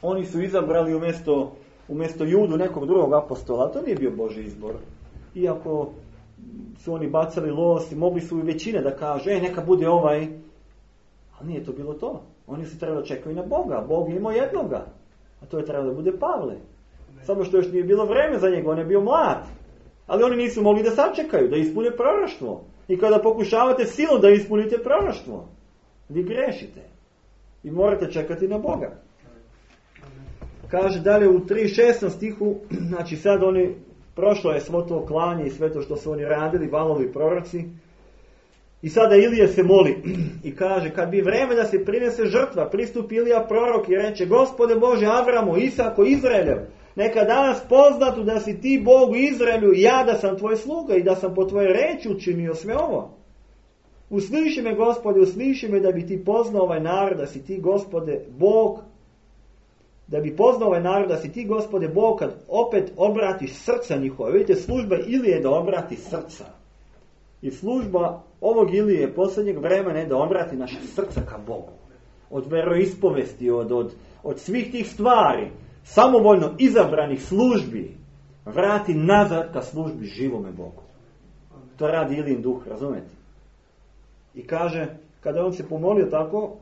oni su izabrali umjesto, umjesto Judu nekog drugog apostola, to nije bio Božji izbor. Iako su oni bacali los i mogli su i većine da kaže, e, neka bude ovaj, ali nije to bilo to. Oni su trebali čekati na Boga, Bog je imao jednoga, a to je trebalo da bude Pavle. Samo što još nije bilo vreme za njega, on je bio mlad. Ali oni nisu mogli da sačekaju, da ispune proroštvo. I kada pokušavate silom da ispunite proroštvo, vi grešite. I morate čekati na Boga. Kaže dalje u tri šestom stihu, znači sad oni, prošlo je svo to klanje i sve to što su oni radili, valovi proroci. I sada Ilija se moli i kaže, kad bi vreme da se prinese žrtva, pristupi Ilija prorok i reče, Gospode Bože Avramo, Isako, Izraeljev, neka danas poznatu da si ti Bog u Izraelju i ja da sam tvoj sluga i da sam po tvojoj reči učinio sve ovo. Usliši me, Gospode, usliši me da bi ti poznao ovaj narod, da si ti, Gospode, Bog, da bi poznao ovaj narod, da si ti, Gospode, Bog, kad opet obratiš srca njihova. Vidite, služba Ilije je da obrati srca. I služba ovog Ilije je posljednjeg vremena je da obrati naše srca ka Bogu. Od veroispovesti, od, od, od svih tih stvari, samovoljno izabranih službi, vrati nazad ka službi živome Bogu. To radi Ilijin duh, razumete? I kaže, kada on se pomolio tako,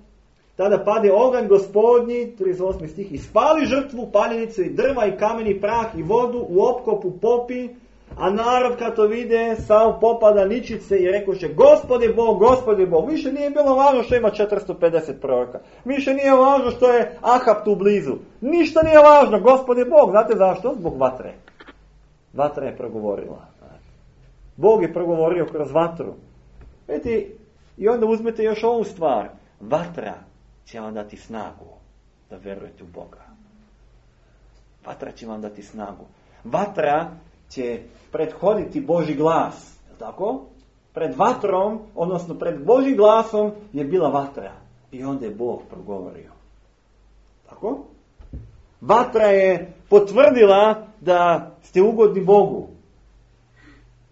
tada pade oganj Gospodnji, trideset osmi stih, i spali žrtvu, paljenicu i drva i kameni, prah i vodu, u opkopu popi, a narod kad to vide, sav popada ničice i rekoše, Gospode Bog, Gospode Bog. Više nije bilo važno što ima četiristo pedeset proroka. Više nije važno što je Ahab tu blizu. Ništa nije važno, Gospode Bog. Znate zašto? Zbog vatre. Vatra je progovorila. Bog je progovorio kroz vatru. Vidite, i onda uzmete još ovu stvar. Vatra će vam dati snagu da verujete u Boga. Vatra će vam dati snagu. Vatra će prethoditi Božji glas. Je tako? Pred vatrom, odnosno pred Božjim glasom je bila vatra. I onda je Bog progovorio. Tako? Vatra je potvrdila da ste ugodni Bogu.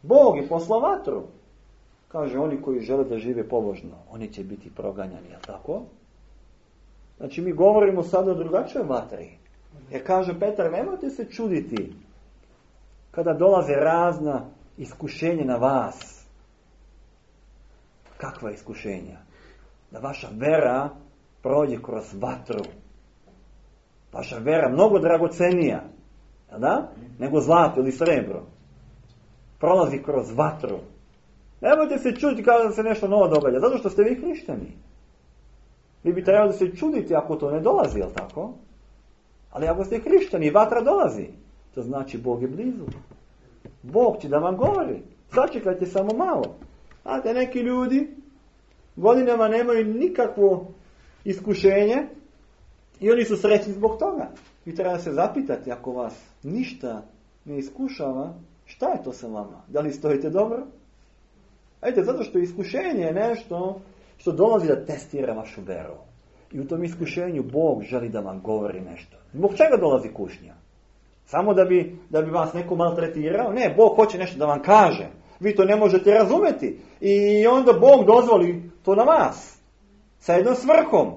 Bog je poslao vatru. Kaže, oni koji žele da žive pobožno, oni će biti proganjani. Je tako? Znači mi govorimo sada o drugačijoj vatri. Jer kaže Petar, nemojte se čuditi kada dolaze razna iskušenja na vas. Kakva iskušenja? da vaša vera prođe kroz vatru. Vaša vera mnogo dragocenija, da? Nego zlato ili srebro. Prolazi kroz vatru. Nemojte se čuditi kada se nešto novo događa, zato što ste vi hrišćani. Vi bi trebali da se čuditi ako to ne dolazi, jel tako? Ali ako ste hrišćani, vatra dolazi. To znači Bog je blizu. Bog će da vam govori. Sačekajte samo malo. Znate, neki ljudi godinama nemaju nikakvo iskušenje i oni su srećni zbog toga. Vi treba se zapitati, ako vas ništa ne iskušava, šta je to sa vama? Da li stojite dobro? Ajde, zato što iskušenje je nešto što dolazi da testira vašu veru. I u tom iskušenju Bog želi da vam govori nešto. Zbog čega dolazi kušnja? Samo da bi, da bi vas neko maltretirao? Ne, Bog hoće nešto da vam kaže. Vi to ne možete razumeti. I onda Bog dozvoli to na vas. Sa jednom svrhom.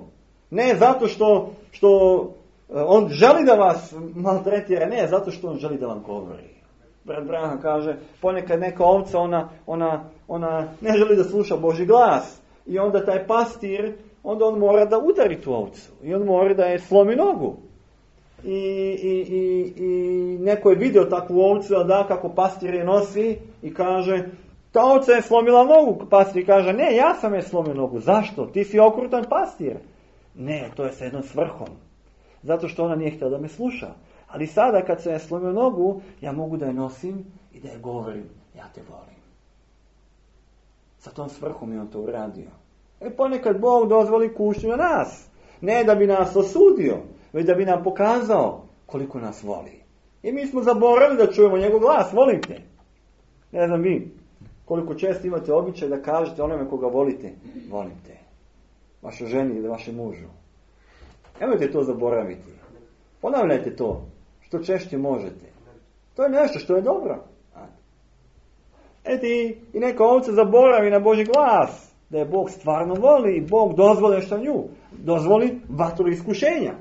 Ne zato što, što on želi da vas maltretira. Ne, zato što on želi da vam govori. Brat Branham kaže, ponekad neka ovca, ona, ona, ona ne želi da sluša Božji glas. I onda taj pastir, onda on mora da udari tu ovcu. I on mora da je slomi nogu. I, i, i, i neko je vidio takvu ovcu, a da, kako pastir je nosi i kaže, ta ovca je slomila nogu. Pastir kaže, ne, ja sam je slomio nogu. Zašto? Ti si okrutan pastir. Ne, to je sa jednom svrhom. Zato što ona nije htjela da me sluša. Ali sada kad se je slomio nogu, ja mogu da je nosim i da je govorim, ja te volim. Sa tom svrhom je on to uradio. E ponekad Bog dozvoli kušnju na nas. Ne da bi nas osudio, već da bi nam pokazao koliko nas voli. I mi smo zaboravili da čujemo njegov glas, volim te. Ne znam vi, koliko često imate običaj da kažete onome koga volite, volim te. Vašoj ženi ili vašem mužu. Nemojte to zaboraviti. Ponavljajte to, što češće možete. To je nešto što je dobro. Eti, i neka ovca zaboravi na Božji glas. Da je Bog stvarno voli i Bog dozvoli što nju. Dozvoli vatru iskušenja.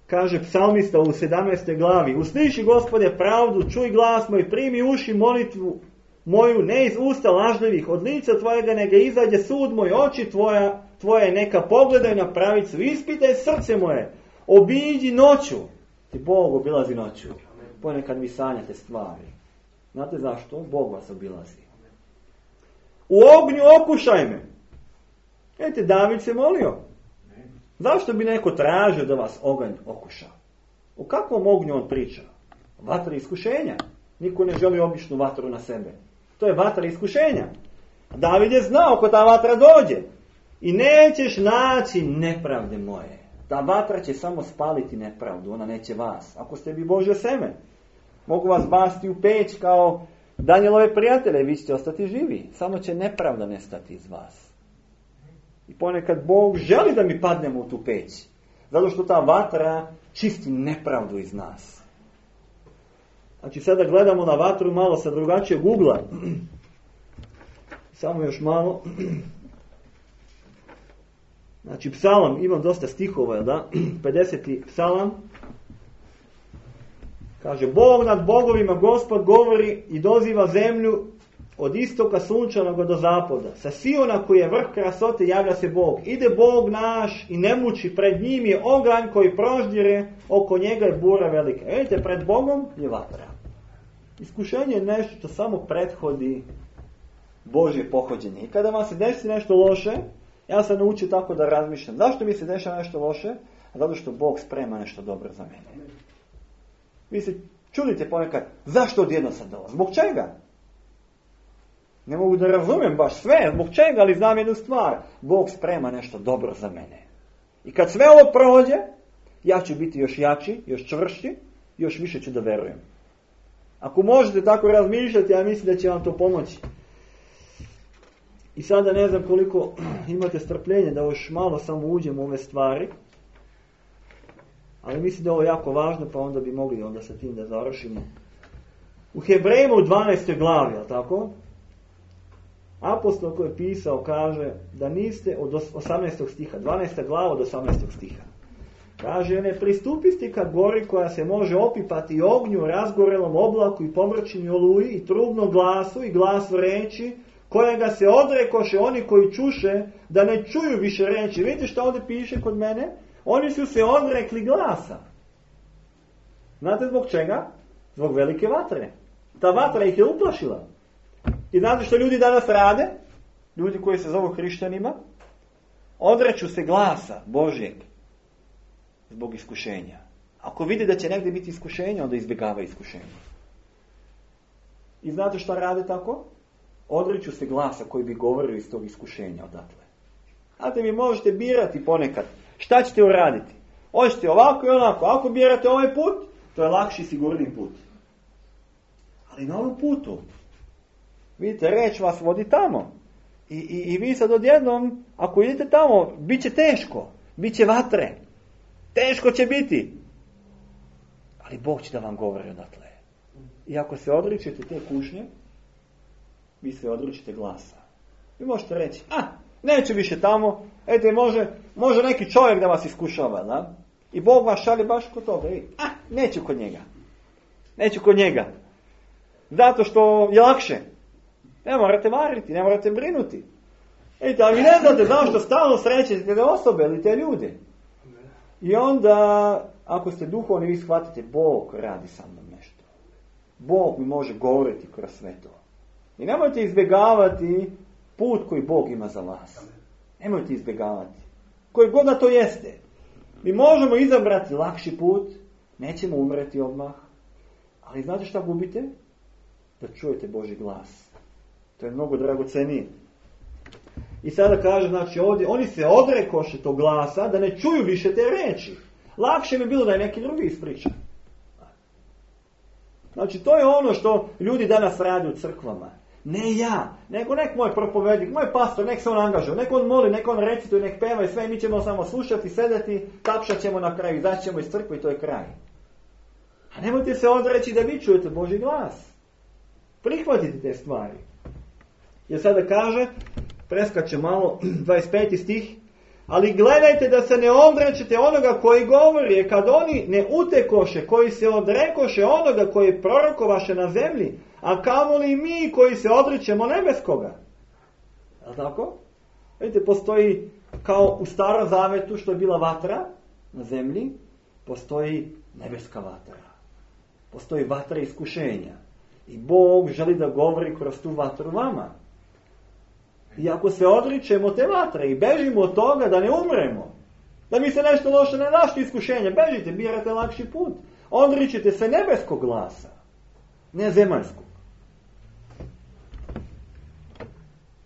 Kaže psalmista u sedamnaestoj glavi. Usliši, Gospode, pravdu, čuj glas moj, primi uši molitvu moju, ne iz usta lažljivih, od lica tvojega neka izađe sud moj, oči tvoja, tvoje neka pogledaju na pravicu, ispitaj srce moje, obiđi noću. Ti Bog obilazi noću. Ponekad vi sanjate stvari. Znate zašto? Bog vas obilazi. U ognju okušaj me. Vidite, David se molio. Zašto bi neko tražio da vas oganj okuša? O kakvom ognju on priča? Vatra iskušenja. Niko ne želi običnu vatru na sebe. To je vatra iskušenja. David je znao ko ta vatra dođe. I nećeš naći nepravde moje. Ta vatra će samo spaliti nepravdu. Ona neće vas. Ako ste bi Božje seme. Mogu vas basti u peć kao Danijelove prijatelje. Vi ćete ostati živi. Samo će nepravda nestati iz vas. I ponekad Bog želi da mi padnemo u tu peć. Zato što ta vatra čisti nepravdu iz nas. Znači sada gledamo na vatru malo sa drugačijeg ugla. Samo još malo. Znači psalam, imam dosta stihova, da? pedeseti psalam. Kaže, Bog nad bogovima, Gospod govori i doziva zemlju od istoka sunčanog do zapada. Sa Siona koji je vrh krasote javlja se Bog. Ide Bog naš i ne muči, pred njim je oganj koji proždire, oko njega je bura velika. Vidite, pred Bogom je vatra. Iskušenje je nešto što samo prethodi Božje pohođenje. I kada vam se desi nešto loše, ja sam naučio tako da razmišljam. Zašto mi se dešava nešto loše? Zato što Bog sprema nešto dobro za mene. Vi se čudite ponekad, zašto odjedno sad ovo? Zbog čega? Ne mogu da razumijem baš sve, zbog čega, ali znam jednu stvar. Bog sprema nešto dobro za mene. I kad sve ovo prođe, ja ću biti još jači, još čvršći, još više ću da verujem. Ako možete tako razmišljati, ja mislim da će vam to pomoći. I sada ne znam koliko imate strpljenje da još malo samo uđemo u ove stvari. Ali mislim da je ovo jako važno, pa onda bi mogli onda sa tim da završimo. U Hebrejima u dvanaestoj glavi, jel tako? Apostol koji je pisao kaže da niste od osamnaestog stiha, dvanaesta glava od osamnaestog stiha. Kaže, ne pristupisti ka gori koja se može opipati ognju, razgorelom oblaku i pomračini oluji i trubnom glasu i glasu reči kojega se odrekoše oni koji čuše, da ne čuju više reči. Vidite što ovdje piše kod mene? Oni su se odrekli glasa. Znate zbog čega? Zbog velike vatre. Ta vatra ih je uplašila. I znate što ljudi danas rade? Ljudi koji se zovu hrišćanima, odreću se glasa Božjeg zbog iskušenja. Ako vidi da će negdje biti iskušenje, onda izbjegava iskušenje. I znate što rade tako? Odreću se glasa koji bi govorio iz tog iskušenja odatle. Znate, mi možete birati ponekad. Šta ćete uraditi? Hoćete ovako i onako. Ako birate ovaj put, to je lakši i sigurniji put. Ali na ovom putu, vidite, reč vas vodi tamo. I, i, i vi sad odjednom, ako idete tamo, bit će teško. Bit će vatre. Teško će biti. Ali Bog će da vam govori odatle. I ako se odričete te kušnje, vi se odričete glasa. Vi možete reći, a, neću više tamo, ete, može, može neki čovjek da vas iskušava, da? I Bog vas šalje baš kod toga. I, a, neću kod njega. Neću kod njega. Zato što je lakše. Ne morate variti, ne morate brinuti. Ete, ali vi ne znate zašto stalno srećete te osobe ili te ljude. I onda, ako ste duhovni, vi shvatite, Bog radi sa mnom nešto. Bog mi može govoriti kroz sve to. I nemojte izbjegavati put koji Bog ima za vas. Nemojte izbjegavati. Koji god da to jeste. Mi možemo izabrati lakši put, nećemo umreti odmah, ali znate šta gubite? Da čujete Božji glas. To je mnogo dragocenije. I sada kaže, znači ovdje, oni se odrekoše tog glasa da ne čuju više te reči. Lakše mi bilo da je neki drugi ispriča. Znači to je ono što ljudi danas rade u crkvama. Ne ja, nego nek moj propovednik, moj pastor, nek se on angažuje, nek on moli, nek on recituje, nek peva i sve, mi ćemo samo slušati, sedeti, tapšat ćemo na kraju, izaći ćemo iz crkve i to je kraj. A nemojte se odreći da vi čujete Božji glas. Prihvatite te stvari. Jer sada kaže, preskače malo, dvadeset peti stih, ali gledajte da se ne odrećete onoga koji govori, jer kad oni ne utekoše, koji se odrekoše onoga koji prorokovaše na zemlji, a kamoli mi koji se odričemo nebeskoga. Je li tako? Vidite, postoji kao u Starom Zavetu što je bila vatra na zemlji, postoji nebeska vatra. Postoji vatra iskušenja. I Bog želi da govori kroz tu vatru vama. I ako se odričemo te vatre i bežimo od toga da ne umremo, da mi se nešto loše ne našto iskušenje, bežite, birate lakši put. Odričite se nebeskog glasa, ne zemaljskog.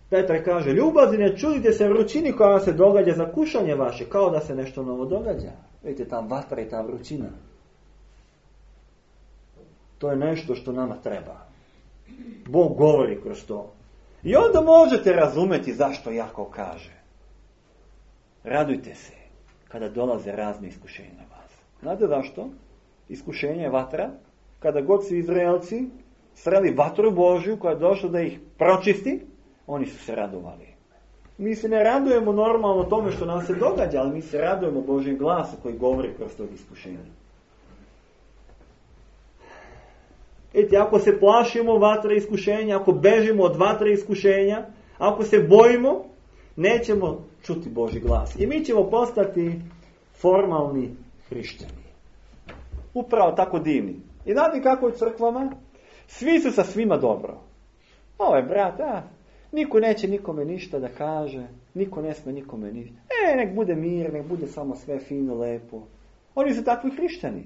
Petar kaže, ljubazni ne čudite se vrućini koja vam se događa za kušanje vaše, kao da se nešto novo događa. Vidite, ta vatra i ta vrućina. To je nešto što nama treba. Bog govori kroz to. I onda možete razumjeti zašto Jakov kaže. Radujte se kada dolaze razne iskušenja na vas. Znate zašto? Iskušenje je vatra. Kada god su Izraelci sreli vatru Božju koja je došla da ih pročisti, oni su se radovali. Mi se ne radujemo normalno tome što nam se događa, ali mi se radujemo Božjem glasu koji govori kroz tog iskušenja. Eti, ako se plašimo vatre iskušenja, ako bežimo od vatre iskušenja, ako se bojimo, nećemo čuti Božji glas. I mi ćemo postati formalni hrišćani. Upravo tako divni. I znate kako u crkvama? Svi su sa svima dobro. Ovo je brat, a, niko neće nikome ništa da kaže, niko ne sme nikome ništa. E, nek bude mir, nek bude samo sve fino, lepo. Oni su takvi hrišćani.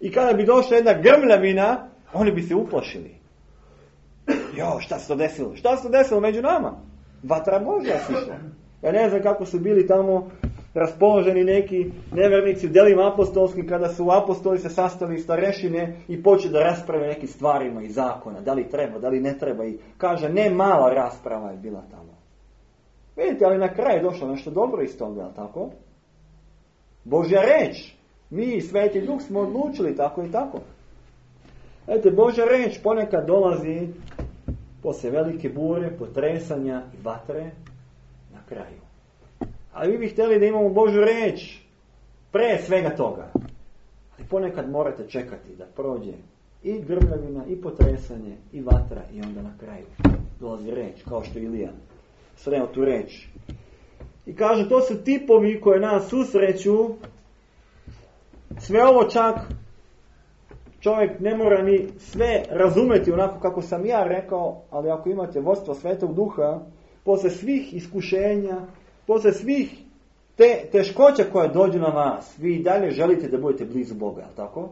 I kada bi došla jedna grmljavina, oni bi se uplašili. Jo, šta se to desilo? Šta se to desilo među nama? Vatra Božja sišla. Ja ne znam kako su bili tamo raspoloženi neki nevernici u delima apostolskim, kada su apostoli se sastali iz starešine i počeli da rasprave nekim stvarima i zakona. Da li treba, da li ne treba. I kaže, ne mala rasprava je bila tamo. Vidite, ali na kraju je došlo nešto dobro iz toga, tako? Božja reč. Mi i Sveti Duh smo odlučili tako i tako. Ete, Božja reč ponekad dolazi posle velike bure, potresanja i vatre na kraju. Ali vi bi htjeli da imamo Božju reč pre svega toga. Ali ponekad morate čekati da prođe I grmljavina, i potresanje, i vatra, i onda na kraju dolazi reč, kao što Ilija sreo tu reč. I kaže, to su tipovi koje nas susreću. Sve ovo čak čovjek ne mora ni sve razumjeti onako kako sam ja rekao, ali ako imate vodstvo Svetog Duha, posle svih iskušenja, posle svih te teškoća koje dođu na vas, vi i dalje želite da budete blizu Boga, tako?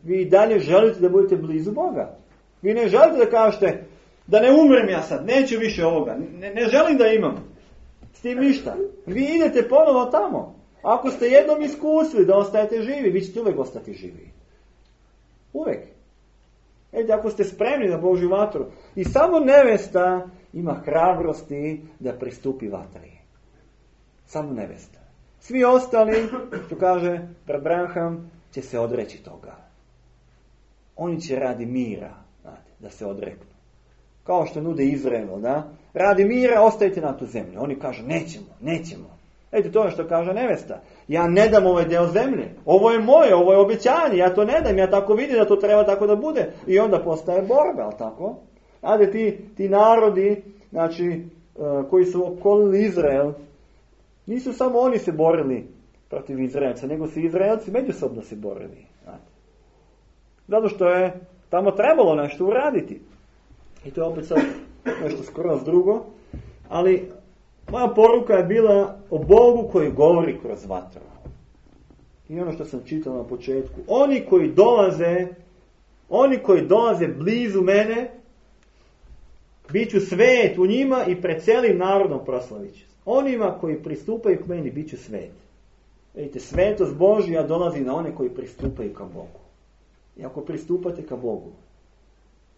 Vi i dalje želite da budete blizu Boga. Vi ne želite da kažete da ne umrem ja sad, neću više ovoga, ne, ne želim da imam s tim ništa. Vi idete ponovo tamo. Ako ste jednom iskusili da ostajete živi, vi ćete uvijek ostati živi. Uvijek. Ejte, ako ste spremni na Božju vatru, i samo nevesta ima hrabrosti da pristupi vatri. Samo nevesta. Svi ostali, što kaže Abraham, će se odreći toga. Oni će radi mira, znate, da se odreknu. Kao što nude Izraelu, da? Radi mira, ostajte na tu zemlju. Oni kažu, nećemo, nećemo. Ejte, to je što kaže nevesta. Ja ne dam ovaj deo zemlje. Ovo je moje, ovo je obećanje. Ja to ne dam, ja tako vidim da to treba tako da bude. I onda postaje borba, ali tako? Znate, ti, ti narodi, znači, uh, koji su okolili Izrael, nisu samo oni se borili protiv Izraelca, nego su Izraelci međusobno se borili. Znate. Zato što je tamo trebalo nešto uraditi. I to je opet sad nešto skroz drugo. Ali moja poruka je bila o Bogu koji govori kroz vatru. I ono što sam čitao na početku. Oni koji dolaze, oni koji dolaze blizu mene, bit ću svet u njima i pred celim narodom proslavit ću. Onima koji pristupaju k meni, bit ću svet. Vidite, svetost Božja dolazi na one koji pristupaju ka Bogu. I ako pristupate ka Bogu,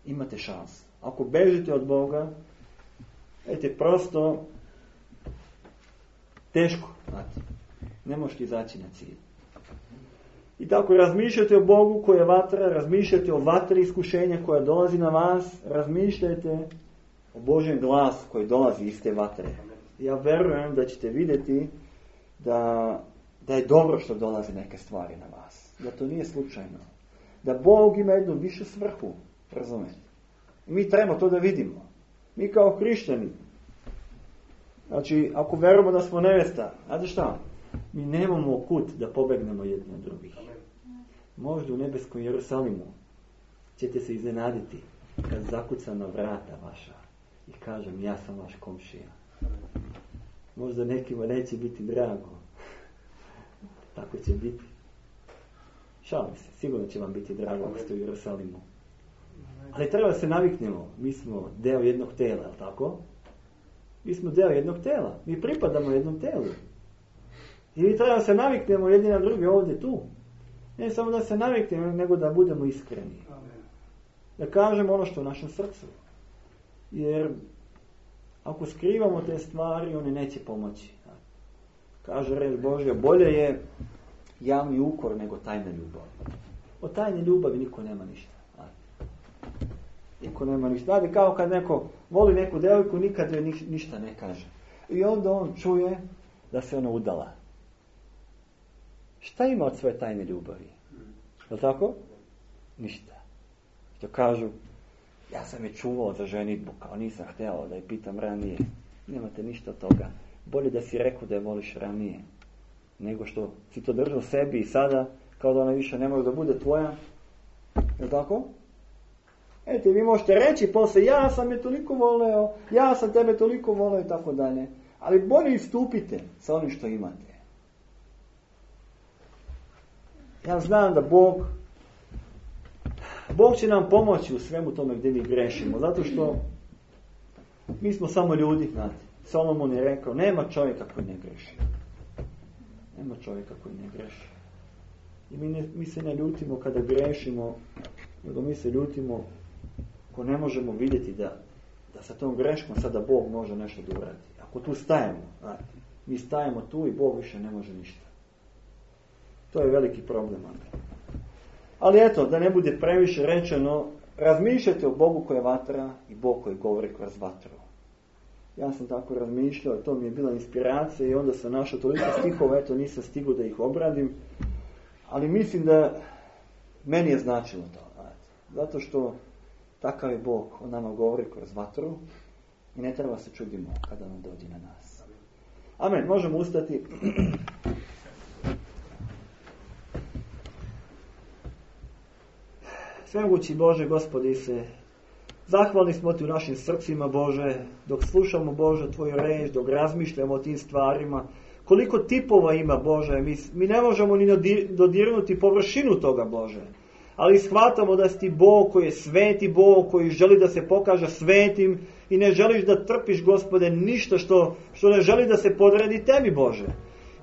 imate šansu. Ako bežite od Boga, vidite, prosto teško, znate, ne možete izaći na cilj. I tako razmišljate o Bogu koji je vatra, razmišljate o vatri iskušenja koja dolazi na vas, razmišljajte o Božjem glasu koji dolazi iz te vatre. Ja verujem da ćete vidjeti da, da je dobro što dolaze neke stvari na vas. Da to nije slučajno. Da Bog ima jednu višu svrhu, razumijete? Mi trebamo to da vidimo. Mi kao hrišćani, znači, ako verujemo da smo nevesta, znate šta? Mi nemamo kut da pobegnemo jedni od drugih. Možda u nebeskom Jerusalimu ćete se iznenaditi kad zakuca na vrata vaša i kažem, ja sam vaš komšija. Možda nekima neće biti drago. Tako će biti. Šalim se, sigurno će vam biti drago ako ste u Jerusalimu. Ali treba da se naviknemo. Mi smo deo jednog tela, je li tako? Mi smo deo jednog tela. Mi pripadamo jednom telu. I mi treba da se naviknemo jedni na druge ovdje tu. Ne samo da se naviknemo, nego da budemo iskreni. Da kažemo ono što je u našem srcu. Jer ako skrivamo te stvari, one neće pomoći. Kaže reč Božja, bolje je javni ukor nego tajna ljubav. Od tajne ljubavi niko nema ništa. Niko nema ništa. Znate, kao kad neko voli neku devojku, nikad joj ništa ne kaže. I onda on čuje da se ona udala. Šta ima od svoje tajne ljubavi? Je li tako? Ništa. Što kažu, ja sam je čuvao za ženitbu, kao nisam htjela da je pitam ranije. Nemate ništa od toga. Bolje da si rekao da je voliš ranije, nego što si to držao sebi i sada, kao da ona više ne može da bude tvoja. Je li tako? Ete, vi možete reći posle, ja sam je toliko voleo, ja sam tebe toliko voleo i tako dalje. Ali bolje istupite sa onim što imate. Ja znam da Bog, Bog će nam pomoći u svemu tome gdje mi grešimo, zato što mi smo samo ljudi, znate. Solomon je rekao, nema čovjeka koji ne greši. Nema čovjeka koji ne greši. I mi, ne, mi se ne ljutimo kada grešimo, nego mi se ljutimo ako ne možemo vidjeti da, da sa tom greškom sada Bog može nešto da uradi. Ako tu stajemo, znate, mi stajemo tu i Bog više ne može ništa. To je veliki problem. Ali eto, da ne bude previše rečeno, razmišljajte o Bogu koji je vatra i Bog koji govori kroz vatru. Ja sam tako razmišljao, to mi je bila inspiracija i onda sam našao toliko stihova, eto nisam stigao da ih obradim. Ali mislim da Meni je značilo to. Zato što takav je Bog, on nama govori kroz vatru i ne treba se čudimo kada on dođe na nas. Amen. Možemo ustati. Svemogući Bože, Gospodi se, zahvalni smo Ti u našim srcima, Bože, dok slušamo, Bože, Tvoju reč, dok razmišljamo o tim stvarima. Koliko tipova ima, Bože, mi, mi ne možemo ni dodirnuti površinu toga, Bože. Ali shvatamo da si Ti Bog koji je sveti Bog, koji želi da se pokaže svetim i ne želiš da trpiš, Gospode, ništa što, što ne želi da se podredi Tebi, Bože.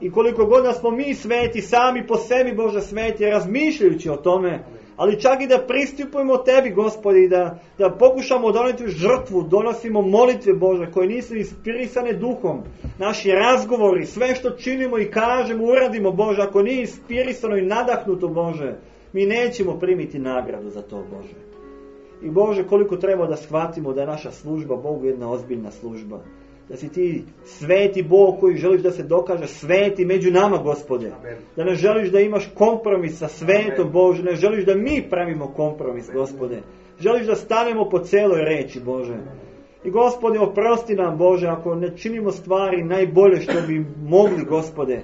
I koliko god da smo mi sveti, sami po sebi, Bože, sveti, razmišljajući o tome, ali čak i da pristupujemo Tebi, Gospodi, i da, da pokušamo doneti žrtvu, donosimo molitve, Bože, koje nisu inspirisane duhom, naši razgovori, sve što činimo i kažemo, uradimo, Bože, ako nije inspirisano i nadahnuto, Bože, mi nećemo primiti nagradu za to, Bože. I Bože, koliko treba da shvatimo da je naša služba Bogu jedna ozbiljna služba. Da si Ti sveti Bog koji želiš da se dokaže sveti među nama, Gospode. Amen. Da ne želiš da imaš kompromis sa svetom, Bože. Ne želiš da mi pravimo kompromis, Gospode. Želiš da stanemo po celoj reči, Bože. I Gospode, oprosti nam, Bože, ako ne činimo stvari najbolje što bi mogli, Gospode.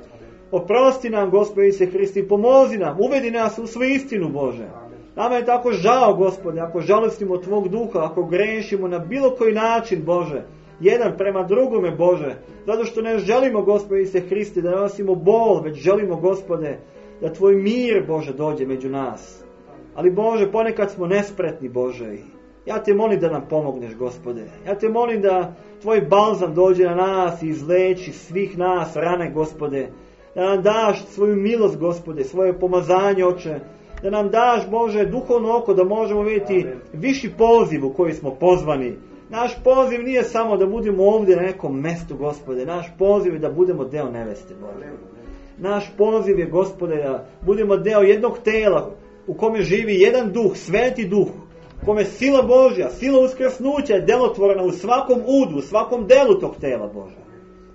Oprosti nam, Gospode Isuse Hristi, pomozi nam, uvedi nas u svu istinu, Bože. Nama je tako žao, Gospode, ako žalostimo Tvog duha, ako grešimo na bilo koji način, Bože, jedan prema drugome, Bože, zato što ne želimo, Gospode Isuse Hristi, da nosimo bol, već želimo, Gospode, da Tvoj mir, Bože, dođe među nas. Ali, Bože, ponekad smo nespretni, Bože. Ja Te molim da nam pomogneš, Gospode. Ja Te molim da Tvoj balzam dođe na nas i izleči svih nas rane, Gospode. Da nam daš svoju milost, Gospode, svoje pomazanje, Oče. Da nam daš, Bože, duhovno oko da možemo vidjeti viši poziv u koji smo pozvani. Naš poziv nije samo da budemo ovdje na nekom mestu, Gospode. Naš poziv je da budemo deo neveste, Bože. Naš poziv je, Gospode, da budemo deo jednog tela u kome živi jedan duh, sveti duh, u kome sila Božja, sila uskrsnuća je delotvorena u svakom udu, u svakom delu tog tela, Bože.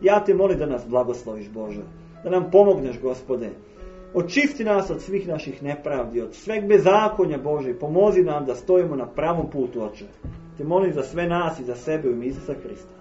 Ja Te molim da nas blagosloviš, Bože. Da nam pomogneš, Gospode. Očisti nas od svih naših nepravdi, od sveg bezakonja, Bože, i pomozi nam da stojimo na pravom putu, Oče. Te molim za sve nas i za sebe u ime Isusa Hrista.